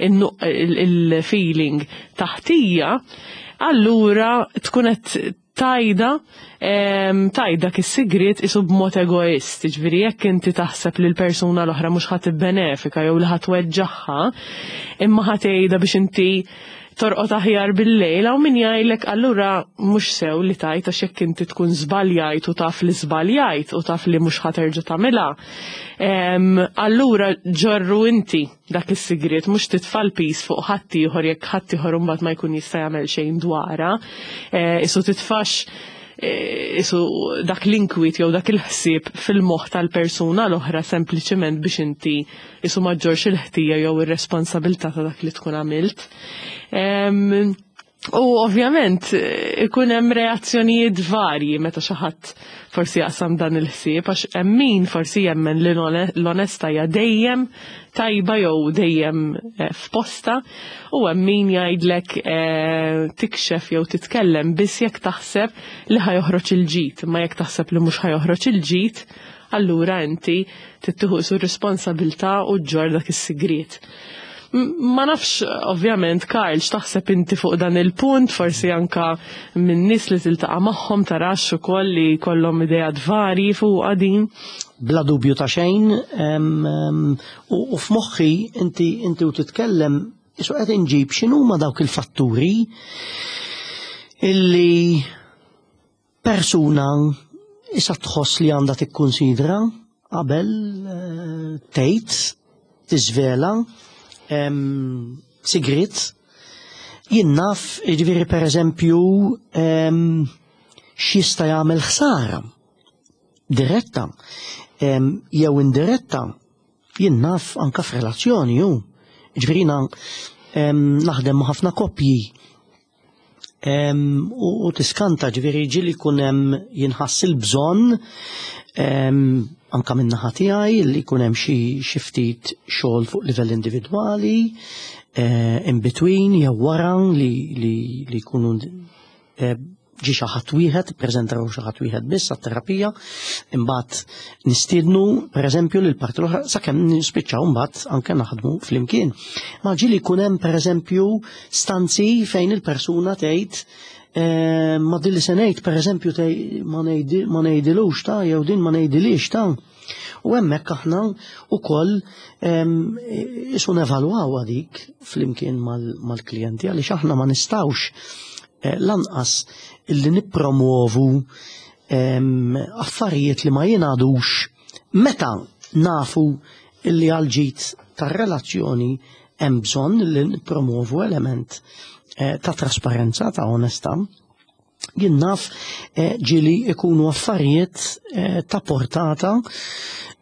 il-feeling ta' ħtija, allura tkun qed tgħidha em, tgħid dak is-sigriet isu b'mod egoist, ġifieri jekk inti taħseb li l-persuna l-oħra mhux ħa tibbenefika jew li ħa tweġġagħha, imma ħa tgħidha biex inti torqod aħjar bil-lejl, hawn min jgħidlek allura mhux sew li tgħid, għax jekk inti tkun żbaljajt u taf li żbaljajt u taf li mhux ħa terġa' tagħmilha. Em, Allura ġorru inti dak is-sigriet, mhux titfa' l-piż fuq ħaddieħor jekk ħaddieħor imbagħad ma jkun jista' jagħmel xejn dwarha. Eh, Isu titfax eh, isu dak l-inkwiet jew dak il-ħsieb fil-moħħ tal-persuna l-oħra sempliċement biex inti isu ma ġġorrx il-ħtija jew ir-responsabilità ta' dak li tkun għamilt. Em, U ovvjament eh, ikun hemm reazzjonijiet varji meta xi ħadd forsi jaqsam dan il-ħsieb, għax hemm min forsi jemmen li l-onesta hija dejjem tajba jew dejjem eh, f'posta u hemm min jgħidlek eh, tikxef jew titkellem biss jekk taħseb li ħa joħroġ il-ġid, imma jekk taħseb li mhux ħa joħroġ il-ġid, allura inti tieħu su responsabilità u ġġorr dak is-sigriet. Ma nafx, ovvjament, Karl, x'taħseb inti fuq dan il-punt, forsi anka minn nies li tiltaqa' magħhom tarax ukoll li kollhom ideat varji fuq din. Bla dubju ta' xejn, u u f'moħħi inti inti u titkellem, isu qed inġib x'inhuma dawk il-fatturi illi persuna issa tħoss li għandha tikkunsidra qabel eh, tgħid, tiżvela sigriet. Jien naf, jiġifieri, per eżempju, x'jista' jagħmel ħsara diretta jew indiretta, jien naf anka f'relazzjoni ju. Jiġifieri naħdem ma' ħafna koppji u tiskanta, ġifieri ġieli jkun hemm jinħass il-bżonn anka minn naħa tiegħi li jkun hemm xi ftit xogħol fuq livell individwali eh, in between jew wara li li jkunu eh, ġi xi ħadd wieħed, ippreżentaw xi ħadd wieħed biss għat-terapija, imbagħad nistiednu, pereżempju, lil parti l-oħra sakemm nispiċċaw mbagħad anke naħdmu flimkien. Ma ġieli jkun hemm, pereżempju, stanzi fejn il-persuna tgħid eh, ma din li se ngħid, pereżempju, ma ngħidilux ta' jew din ma ngħidilix ta'. U hemmhekk aħna wkoll isu nevalwaw għadik flimkien mal-klijenti, għaliex aħna ma nistgħux eh, lanqas illi nippromovu affarijiet li ma jingħadux meta nafu illi għal-ġid tar-relazzjoni hemm bżonn li nippromovu element eh, ta' trasparenza, ta' onestà. Jien naf eh, ġieli ikunu affarijiet eh, ta' portata,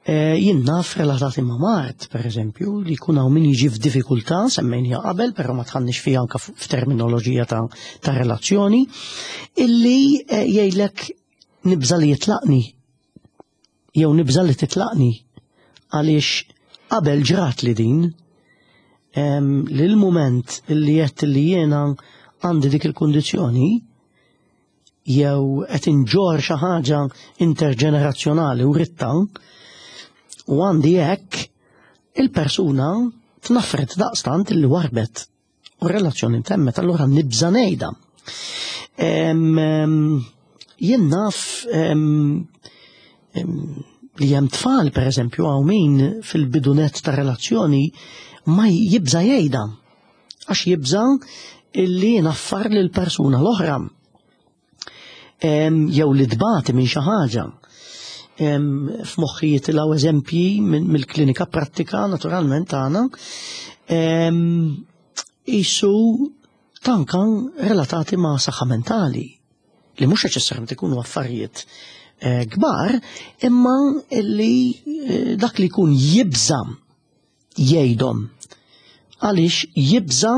jien naf relatati ma' mard, per eżempju, li jkun hawn min jiġi f'diffikultà, semmejnija qabel, però ma dħalniex fiha anka f'terminoloġija ta', ta relazzjoni, illi jgħidlek nibża li jitlaqni, jew nibża li titlaqni, għaliex qabel ġrat li din, li l-moment illi jett li jiena għandi dik il-kondizjoni, jew qed inġorr xi ħaġa interġenerazzjonali u ritta u għandi hekk, il-persuna tnaffret daqstant illi warbet u relazzjoni temmet, allura nibża ngħidha. Jien naf li hemm tfal, per eżempju, hawn min fil-bidunet ta' relazzjoni ma jibża jgħidha għax jibża illi naffar lil persuna l-oħra. jew li tbati minn xi ħaġa. F'moħħi jitilgħu eżempji mill-klinika prattika naturalment tagħna isu tanka relatati ma' saħħa mentali li mhux neċessarjament ikunu affarijiet kbar, imma li dak li jkun jibża jgħidhom għaliex jibża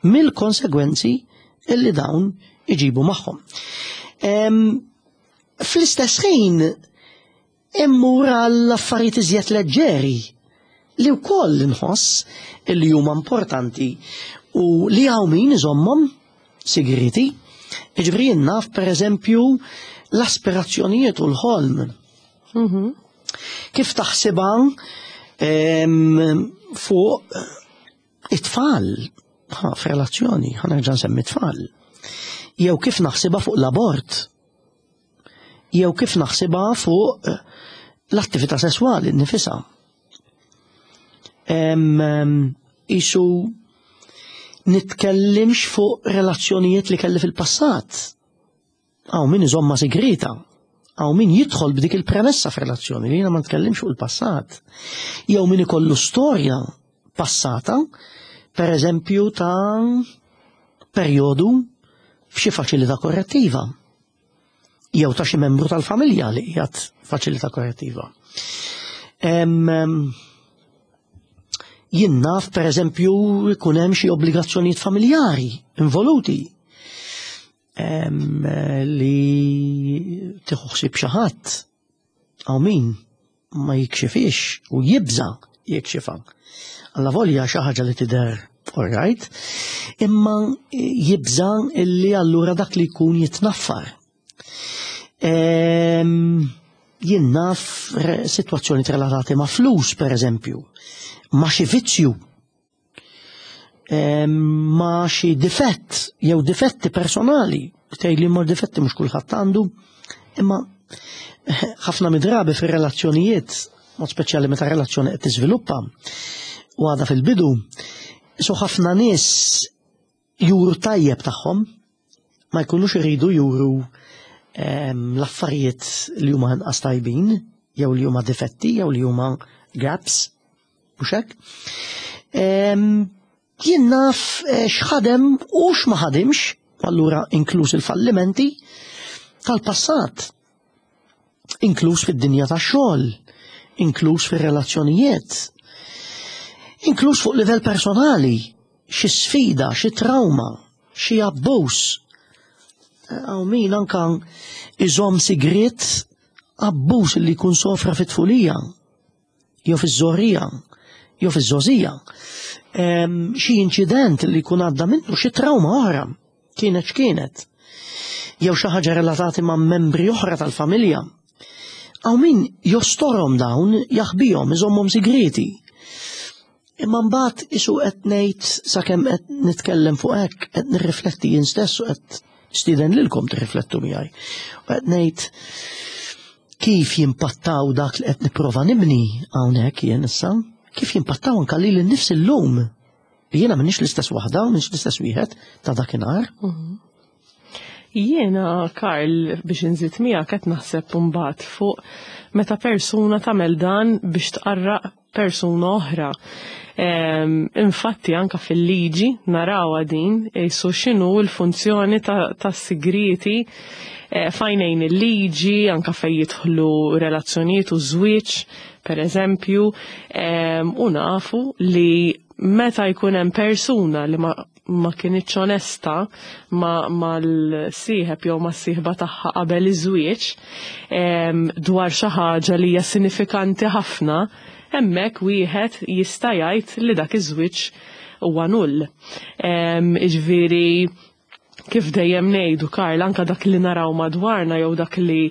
mill-konsegwenzi illi dawn iġibu magħhom. Fl-istess ħin immur għall affarijiet iżjed leġġeri li wkoll inħoss illi huma importanti u li hawn min iżommhom sigriti. Jiġifieri jien naf pereżempju l-aspirazzjonijiet u l-ħolm. Kif taħsibha fuq it-tfal f'relazzjoni, ħa nerġa' nsemmi tfal. Jew kif naħsibha fuq l-abort. Jew kif naħsibha fuq l-attività sesswali nnifisha. Isu nitkellimx fuq relazzjonijiet li kelli fil-passat. Hawn min iżomma sigrita. Hawn min jidħol b'dik il-premessa f'relazzjoni li jiena ma nitkellimx fuq il-passat. Jew min ikollu storja passata, per eżempju ta' perjodu f'xi faċilità korrettiva. Jew ta' xi membru tal-familja li qiegħed faċilità korrettiva. Jien naf per eżempju jkun hemm xi obbligazzjonijiet familjari involuti li tieħu ħsieb xi ħadd. Hawn min ma jikxifix u jibża jikxifha. Alla volja xi ħaġa li tidher all right, imma jibża illi allura dak li jkun jitnaffar. Jien naf sitwazzjoni relatati ma' flus, per eżempju, ma' xi vizzju, ma' xi difett jew difetti personali. Tgħid li ma' difetti mhux kulħadd għandu, imma ħafna midrabi fir-relazzjonijiet, mod speċjali meta relazzjoni qed tiżviluppa u għadha fil-bidu, so ħafna nies juru tajjeb tagħhom, ma jkunux iridu juru l-affarijiet li huma inqas tajbin, jew li huma difetti, jew li huma gaps, mhux hekk. Jien naf x'ħadem u x'ma ħadimx, allura inkluż il-fallimenti tal-passat, inkluż fid-dinja tax-xogħol, inkluż fir-relazzjonijiet, inkluż fuq livell personali, xi sfida, xi trauma, xi abbuż. Hawn min anka iżomm sigriet abbuż li jkun sofra fit-tfulija, jew fiż-żorrija, jew fiż-żożija. Xi inċident li jkun għadda minnu, xi trauma oħra, kienet x'kienet. Jew xi ħaġa relatati ma' membri oħra tal-familja. Hawn min jostorhom dawn, jaħbihom, iżommhom sigreti. Imma mbagħad isu qed ngħid sakemm qed nitkellem fuq hekk, qed nirrifletti jien stess u qed nistieden lilkom tirriflettu miegħi. U qed ngħid kif jimpattaw dak li qed nipprova nibni hawnhekk jien issa, kif jimpattaw anke lili nnifsi llum. Jiena m'iniex l-istess waħda, m'iniex l-istess wieħed ta' dakinhar. Jiena, Karl, biex inżid miegħek qed naħseb mbagħad fuq meta persuna tagħmel dan biex tqarraq persuna oħra. Infatti anka fil-liġi narawha din jisu x'inhu l-funzjoni tas-sigriti fajnejn il-liġi, anka fejn jidħlu relazzjonijiet u żwieġ, per eżempju, u nafu li meta jkun hemm persuna li ma ma kienitx onesta ma mal-sieħeb jew mas-sieħba tagħha qabel iż-żwieġ dwar xi ħaġa li hija sinifikanti ħafna, hemmhekk wieħed jista' jgħid li dak iż-żwieġ huwa null. Jiġifieri kif dejjem ngħidu, Karl, anka dak li naraw madwarna jew dak li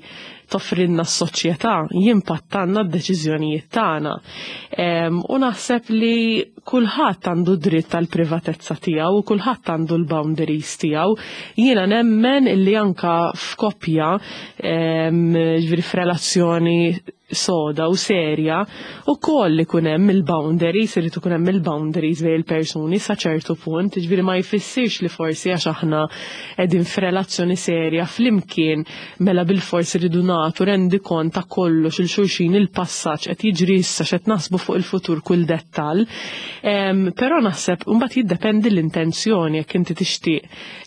toffrinna s-soċjetà jimpattanna d-deċiżjonijiet tagħna. U naħseb li kulħadd għandu dritt tal-privatezza tiegħu u kulħadd għandu l-boundaries tiegħu. Jiena nemmen illi anka f'koppja, ġifieri f'relazzjoni soda u serja, u koll ikun hemm il-boundaries, irid ikun hemm il-boundaries bejn il-persuni sa ċertu punt, ġifieri ma jfissirx li forsi għax aħna qegħdin f'relazzjoni serja flimkien mela bil-forsi rridu nagħtu rendikont ta' kollox il xulxin, il-passaġġ qed jiġri issa, x'qed naħsbu fuq il-futur, kull dettall. Però naħseb mbagħad jiddependi l-intenzjoni. Jekk inti tixtieq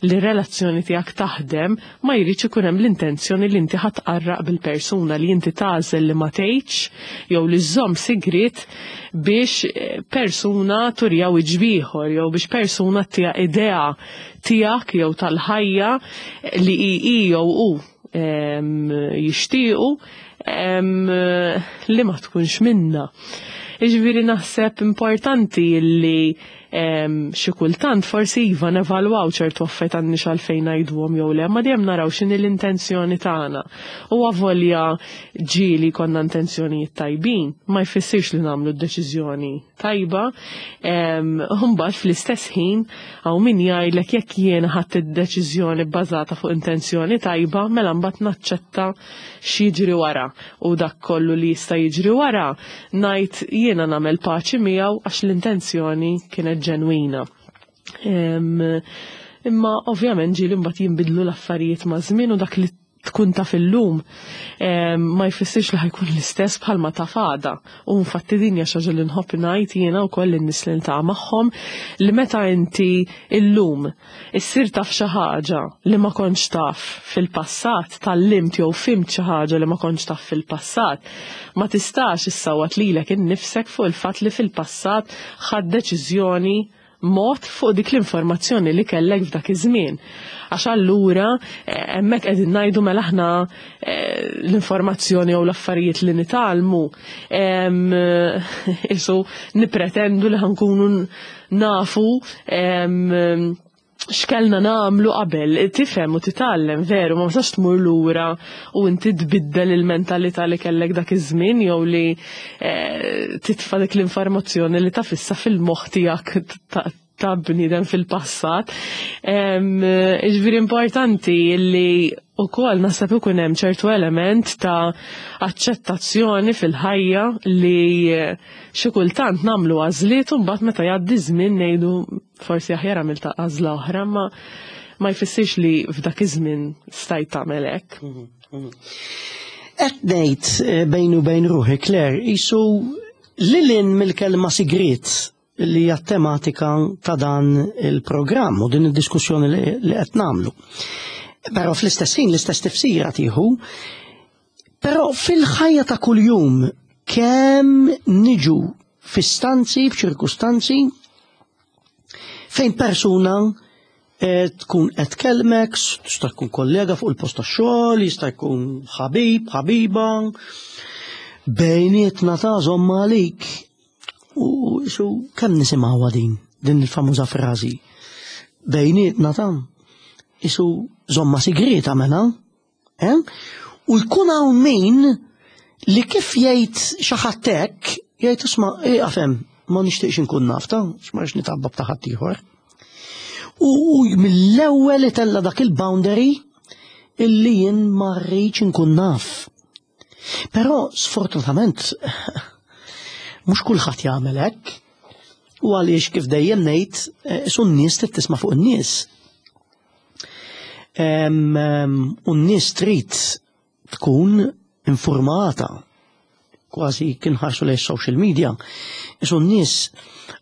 li r-relazzjoni tiegħek taħdem, ma jridx ikun hemm l-intenzjoni li inti ħa tqarraq bil-persuna, li inti tagħżel li ma tgħidx jew li żżomm sigriet biex persuna turija wiċċ ieħor jew biex persuna tija idea tiegħek jew tal-ħajja li hi jew hu jixtiequ li ma tkunx minna. Iġifieri naħseb importanti li xi kultant forsi iva nevalwaw ċertu affarijiet għandniex għalfejn ngħiduhom jew le, ma dejjem naraw x'inhi l-intenzjoni tagħna. U avolja ġieli konna intenzjonijiet tajbin, ma jfissirx li nagħmlu d-deċiżjoni tajba. Mbagħad fl-istess ħin hawn min jgħidlek jekk jiena ħadt id-deċiżjoni bbażata fuq intenzjoni tajba, mela mbagħad naċċetta x'jiġri wara, u dak kollu li jista' jiġri wara ngħid jiena nagħmel paċi miegħu għax l-intenzjoni kienet ġenwina. Imma ovvjament ġieli mbagħad jinbidlu l-affarijiet ma' żmien, u dak li tkun taf illum ma jfissirx li ħa jkun l-istess bħalma taf għada. U infatti din hija xi ħaġa li nħobb ngħid jiena wkoll lin-nies li niltaqa' magħhom, li meta inti illum issir taf xi ħaġa li ma kontx taf fil-passat, tgħallimt jew fhimt xi ħaġa li ma kontx taf fil-passat, ma tistax issawwat lilek innifsek fuq il-fatt li fil-passat ħadt deċiżjoni mod fuq dik l-informazzjoni li kellek f'dak iż-żmien. Għax allura hemmhekk qegħdin ngħidu mela aħna l-informazzjoni jew l-affarijiet li nitgħallmu isu nippretendu li ħa nkunu nafu x'kellna nagħmlu qabel. Tifhem u titgħallem veru, ma tistax tmur lura u inti tbiddel il-mentalità li kellek dak iż-żmien jew li titfa' dik l-informazzjoni li taf issa fil-moħħ tiegħek ta' bniedem fil-passat. Ġifieri importanti li wkoll naħseb ikun hemm ċertu element ta' aċċettazzjoni fil-ħajja li xi kultant nagħmlu għażliet u mbagħad meta jgħaddi żmien ngħidu forsi aħjar għamilt għażla oħra, ma ma jfissirx li f'dak iż-żmien stajt tagħmel hekk. Qed ngħid bejn u bejn ruħi, Claire, isu lil hinn mill-kelma sigriet li hija tematika ta' dan il-programm u din id-diskussjoni li qed nagħmlu. Però fl-istess ħin l-istess tifsira tieħu, però fil-ħajja ta' kuljum kemm niġu f'istanzi, f'ċirkustanzi fejn persuna tkun qed tkellmek, tista' tkun kollega fuq il-post tax-xogħol, jista' jkun ħabib, ħabiba, bejnietna ta' żomm għalik. U xu kemm nisimgħuha din, din il-famuża frażi. Bejnietna ta' isu żomma sigrita mela, eh? U jkun hawn min li kif jgħid xi ħadd hekk, jgħid isma' ieqaf hemm, ma nixtieqx inkun naf ta' x'ma rridx nitgħabba ta' ħadd ieħor. U mill-ewwel itella' dak il-boundary illi jien ma rridx inkun naf. Però sfortunatament mhux kulħadd jagħmel hekk. U għaliex kif dejjem ngħid, isu n-nies trid tisma' fuq in-nies. U n-nies trid tkun informata, kważi kien ħarsu lejn social media. Isu n-nies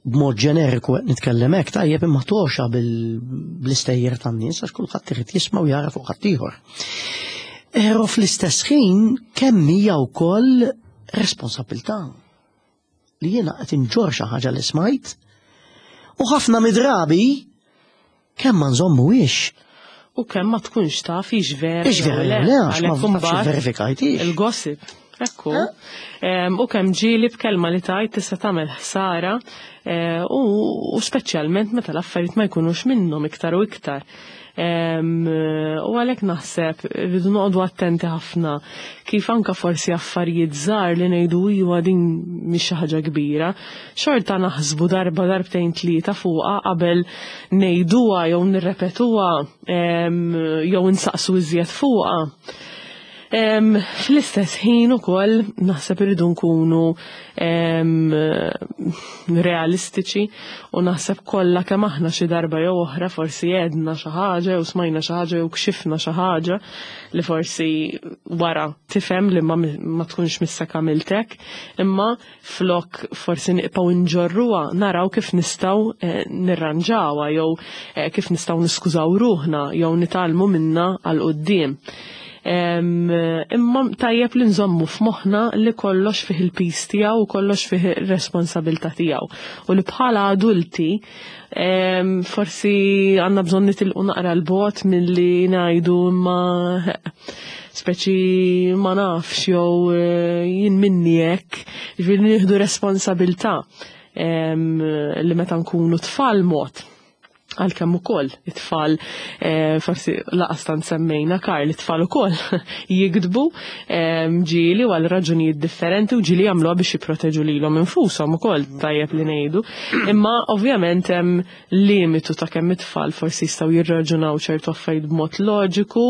b'mod ġeneriku qed nitkellem hekk tajjeb, imma toxa bl-istejjer tan-nies għax kulħadd irid jisma' u jara fuq ħaddieħor. Però fl-istess ħin kemm hija wkoll responsabilità li jiena qed inġorr xi ħaġa li smajt u ħafna midrabi kemm ma nżommuhiex. U kemm ma tkunx taf hix vera. Hix vera jew le, għax ma tafx verifikajtix. Il-gossip. Ekku. U kemm ġieli b'kelma li tajt tista' tagħmel ħsara, u speċjalment meta l-affarijiet ma jkunux minnhom iktar u iktar. U għalhekk naħseb rridu noqogħdu attenti ħafna kif anka forsi affarijiet żgħar li ngħidu iwa din mhix xi ħaġa kbira, xorta naħsbu darba darbtejn tlieta fuqha qabel ngħiduha jew nirrepetuha jew insaqsu iżjed fuqha. Fl-istess ħin ukoll naħseb irridu nkunu realistiċi u naħseb kollha kemm aħna xi darba jew oħra forsi għedna xi ħaġa jew smajna xi ħaġa jew kxifna xi ħaġa li forsi wara tifhem li ma, ma tkunx missek għamiltek, imma flok forsi nibqgħu nġorruha naraw kif nistgħu eh, nirranġawha jew eh, kif nistgħu niskużaw ruħna jew nitgħallmu minna għal quddiem. Imma tajjeb li nżommu f'moħħna li kollox fih il-piż tiegħu u kollox fih ir-responsabilità tiegħu. U li bħala adulti forsi għandna bżonn nitilqu naqra l-bot milli ngħidu imma speċi ma nafx jew eh, jien minni hekk, ġifieri nieħdu responsabilità li meta nkunu tfal mod għalkemm ukoll it-tfal eh, forsi laqas tant semmejna Karl it-tfal ukoll jikdbu ġieli għal raġunijiet differenti u ġieli jagħmluha biex jipproteġu lilhom infushom ukoll tajjeb li ngħidu. Imma ovvjament hemm limitu ta' kemm it-tfal forsi jistgħu jirraġunaw ċertu affarijiet b'mod loġiku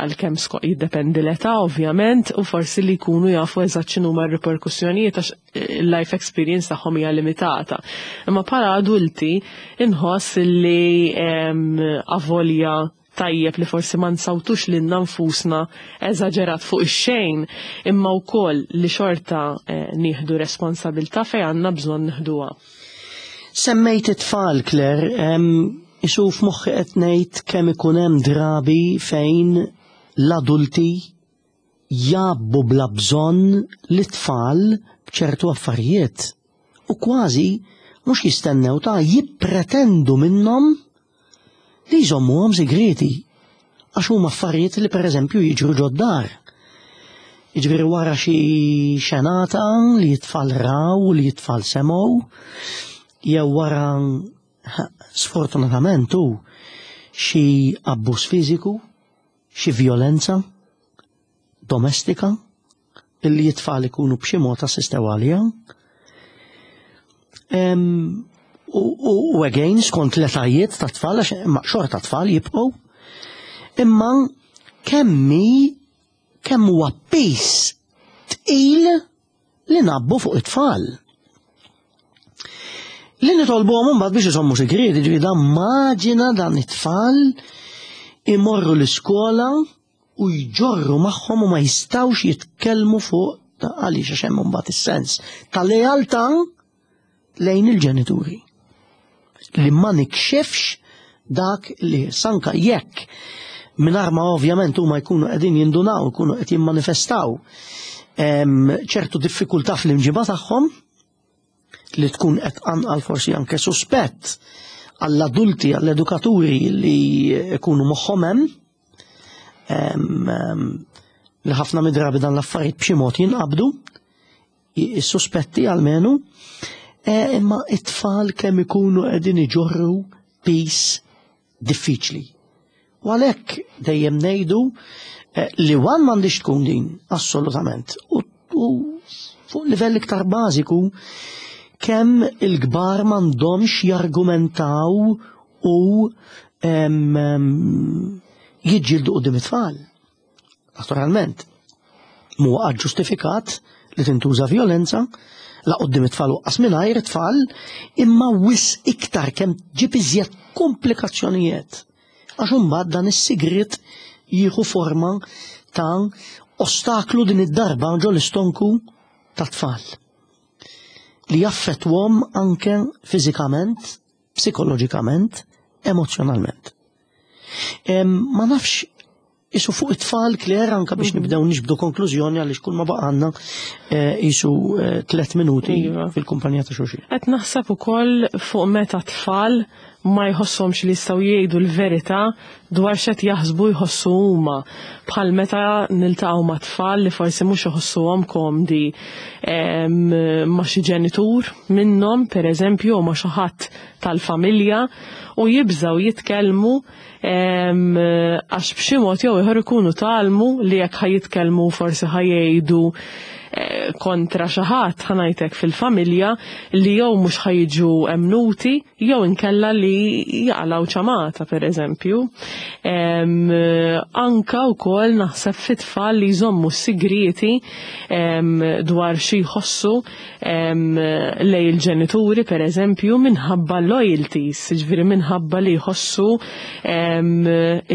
għalkemm jiddependi l-età ovvjament u forsi li jkunu jafu eżatt x'inhuma r-riperkussjonijiet għax il-life experience tagħhom hija limitata. Imma bħala adulti inħoss li avolja tajjeb li forsi ma nsawtux lilna nfusna eżaġerat fuq ix-xejn, imma wkoll li xorta eh, nieħdu responsabilità fejn għandna bżonn nieħduha. Semmejt it-tfal, Claire, isu f'moħħi qed ngħid kemm ikun hemm drabi fejn l-adulti jabbu bla bżonn l-tfal b'ċertu affarijiet u kważi mhux jistennew ta' jippretendu minnhom li jżommuhom segreti għax huma affarijiet li pereżempju jiġru ġod-dar. Jiġifieri wara xi xenata li t-tfal raw u li t-tfal semgħu, jew wara sfortunatament hu xi abbuż fiżiku, xi vjolenza domestika illi t-tfal ikunu b'xi mod assistew għaliha. U, u, u again, skont l-etajiet ta' tfal, għax ma xorta tfal jibqgħu, imma kemmi kemm huwa piż tqil li nabbu fuq it-tfal. Li nitolbuhom imbagħad biex iżommu sigrieti, ġifieri dan maġina dan it-tfal imorru l-iskola u jġorru magħhom u ma jistgħux jitkellmu fuq għaliex għax hemm imbagħad is-sens ta' lealtà lejn il-ġenituri. Li ma nikxefx dak li sanka jekk mingħajr ma ovvjament huma jkunu qegħdin jindunaw, jkunu qed jimmanifestaw ċertu diffikultà fl-imġiba tagħhom li tkun qed tqanqal forsi anke suspett għall-adulti, għall-edukaturi li jkunu moħħhom hemm li ħafna midrabi dan l-affarijiet b'xi mod jinqabdu, is-suspetti almenu, imma it-tfal kemm ikunu qegħdin iġorru piż diffiċli. U għalhekk dejjem ngħidu li wan m'għandix tkun din, assolutament. U, u fuq livell iktar bażiku kemm il-kbar m'għandhomx jargumentaw u jiġġieldu quddiem it-tfal. Naturalment, mhuwa ġustifikat li tintuża violenza, la quddiem it-tfal u qas mingħajr it-tfal, imma wisq iktar kemm ġib iżjed komplikazzjonijiet. Għax imbagħad dan is-sigriet jieħu forma ta' ostaklu din id-darba ġo l-istonku ta' tfal li jaffettwhom anke fiżikament, psikoloġikament, emozjonalment. Ma nafx isu fuq it-tfal, Claire, anka biex nibdew nixbdu konklużjoni għaliex kull ma baqgħalna isu tliet minuti Iva. fil-kumpanija ta' xulxin. Qed naħseb ukoll fuq meta tfal ma jħossomx li jistgħu jgħidu l-verità dwar x'qed jaħsbu jħossu huma. Bħal meta niltaqgħu ma' tfal li forsi mhux iħossuhom komdi ma' xi ġenitur minnhom, pereżempju, u ma' xi ħadd tal-familja u jibżgħu jitkellmu għax b'xi mod jew ieħor ikunu tgħallmu li jekk ħa jitkellmu forsi ħa jgħidu eh, kontra xi ħadd, ħa ngħidlek, fil-familja li jew mhux ħa jiġu emnuti jew inkella li jaqilgħu ċamata, per eżempju. Anka wkoll naħseb fit-tfal li jżommu sigrieti dwar xi jħossu lejn il-ġenituri, per eżempju, minħabba loyalties, ġifieri minħabba li jħossu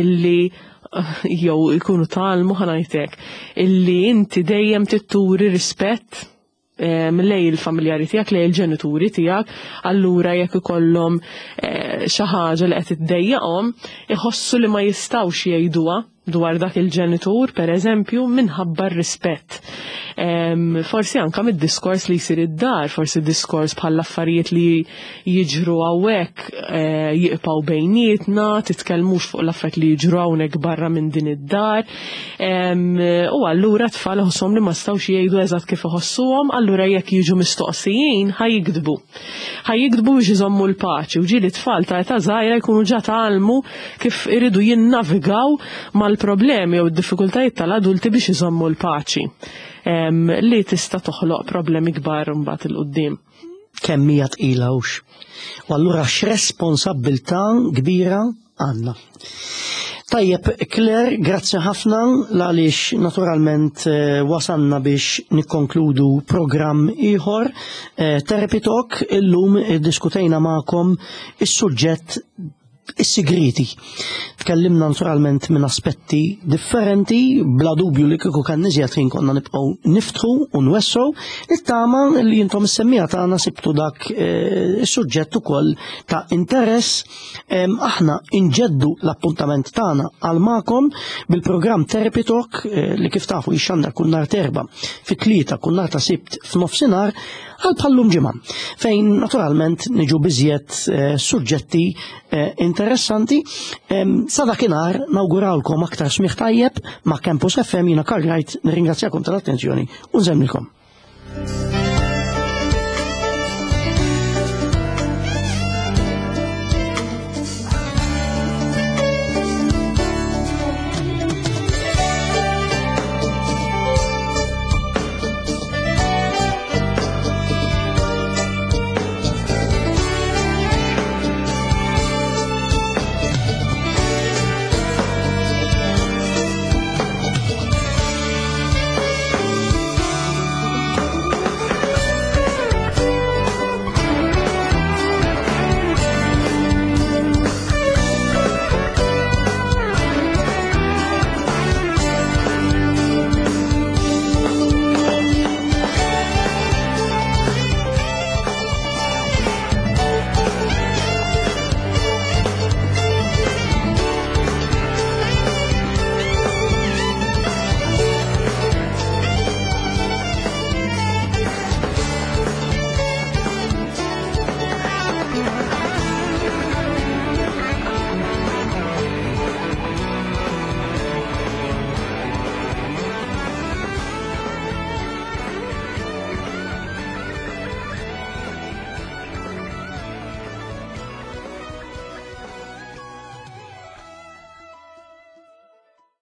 illi jew ikunu tgħallmu, ħa ngħidlek, illi inti dejjem trid turi rispett lejn il-familjari tiegħek, lejn il-ġenituri tiegħek, allura jekk ikollhom eh, xi ħaġa li qed iddejjaqhom, iħossu li ma jistgħux jgħiduha dwar dak il-ġenitur, per eżempju, minħabba r-rispett. Forsi anka mid-diskors li jsir id-dar, forsi diskors bħal affarijiet li jiġru hawnhekk eh, jibqgħu bejnietna, titkellmux fuq l-affarijiet li jiġru hawnhekk barra minn din id-dar. U allura tfal iħossuhom li ma stawx jgħidu eżatt kif iħossuhom, allura jekk jiġu mistoqsijin ħa jigdbu. Ħa jigdbu biex iżommu l-paċi u ġieli tfal ta' età żgħira jkunu ġa tgħallmu kif iridu jinnavigaw mal-problemi jew id-diffikultajiet tal-adulti biex iżommu l-paċi li tista' toħloq problemi kbar mbagħad 'il quddiem. Kemm hija tqila hux. U allura x'responsabbiltà kbira għandna. Tajjeb, Claire, grazzi ħafna għaliex naturalment eh, wasanna biex nikkonkludu programm ieħor. Eh, Therapy Talk, illum diskutejna magħkom is-suġġett is-sigriti. Tkellimna naturalment minn aspetti differenti, bla dubju li kieku kien iżjed ħin konna nibqgħu niftħu u nwessgħu, nittama li intom is-semmiegħa tagħna sibtu dak eh, is-suġġett ukoll ta' interess. Aħna inġeddu l-appuntament tagħna għal magħkom bil-programm Therapy Talk eh, li kif tafu jixxandar kull nhar t'Erbgħa fit-tlieta, kull nhar ta' Sibt f'nofsinhar għal bħal-lum ġimgħa, fejn naturalment niġu b'iżjed eh, suġġetti interessanti. Sa dakinhar nawgurawlkom aktar smigħ tajjeb ma' Campus F M. Jiena Karl Wright, nirringrazzjakom tal-attenzjoni u nsellmilkom.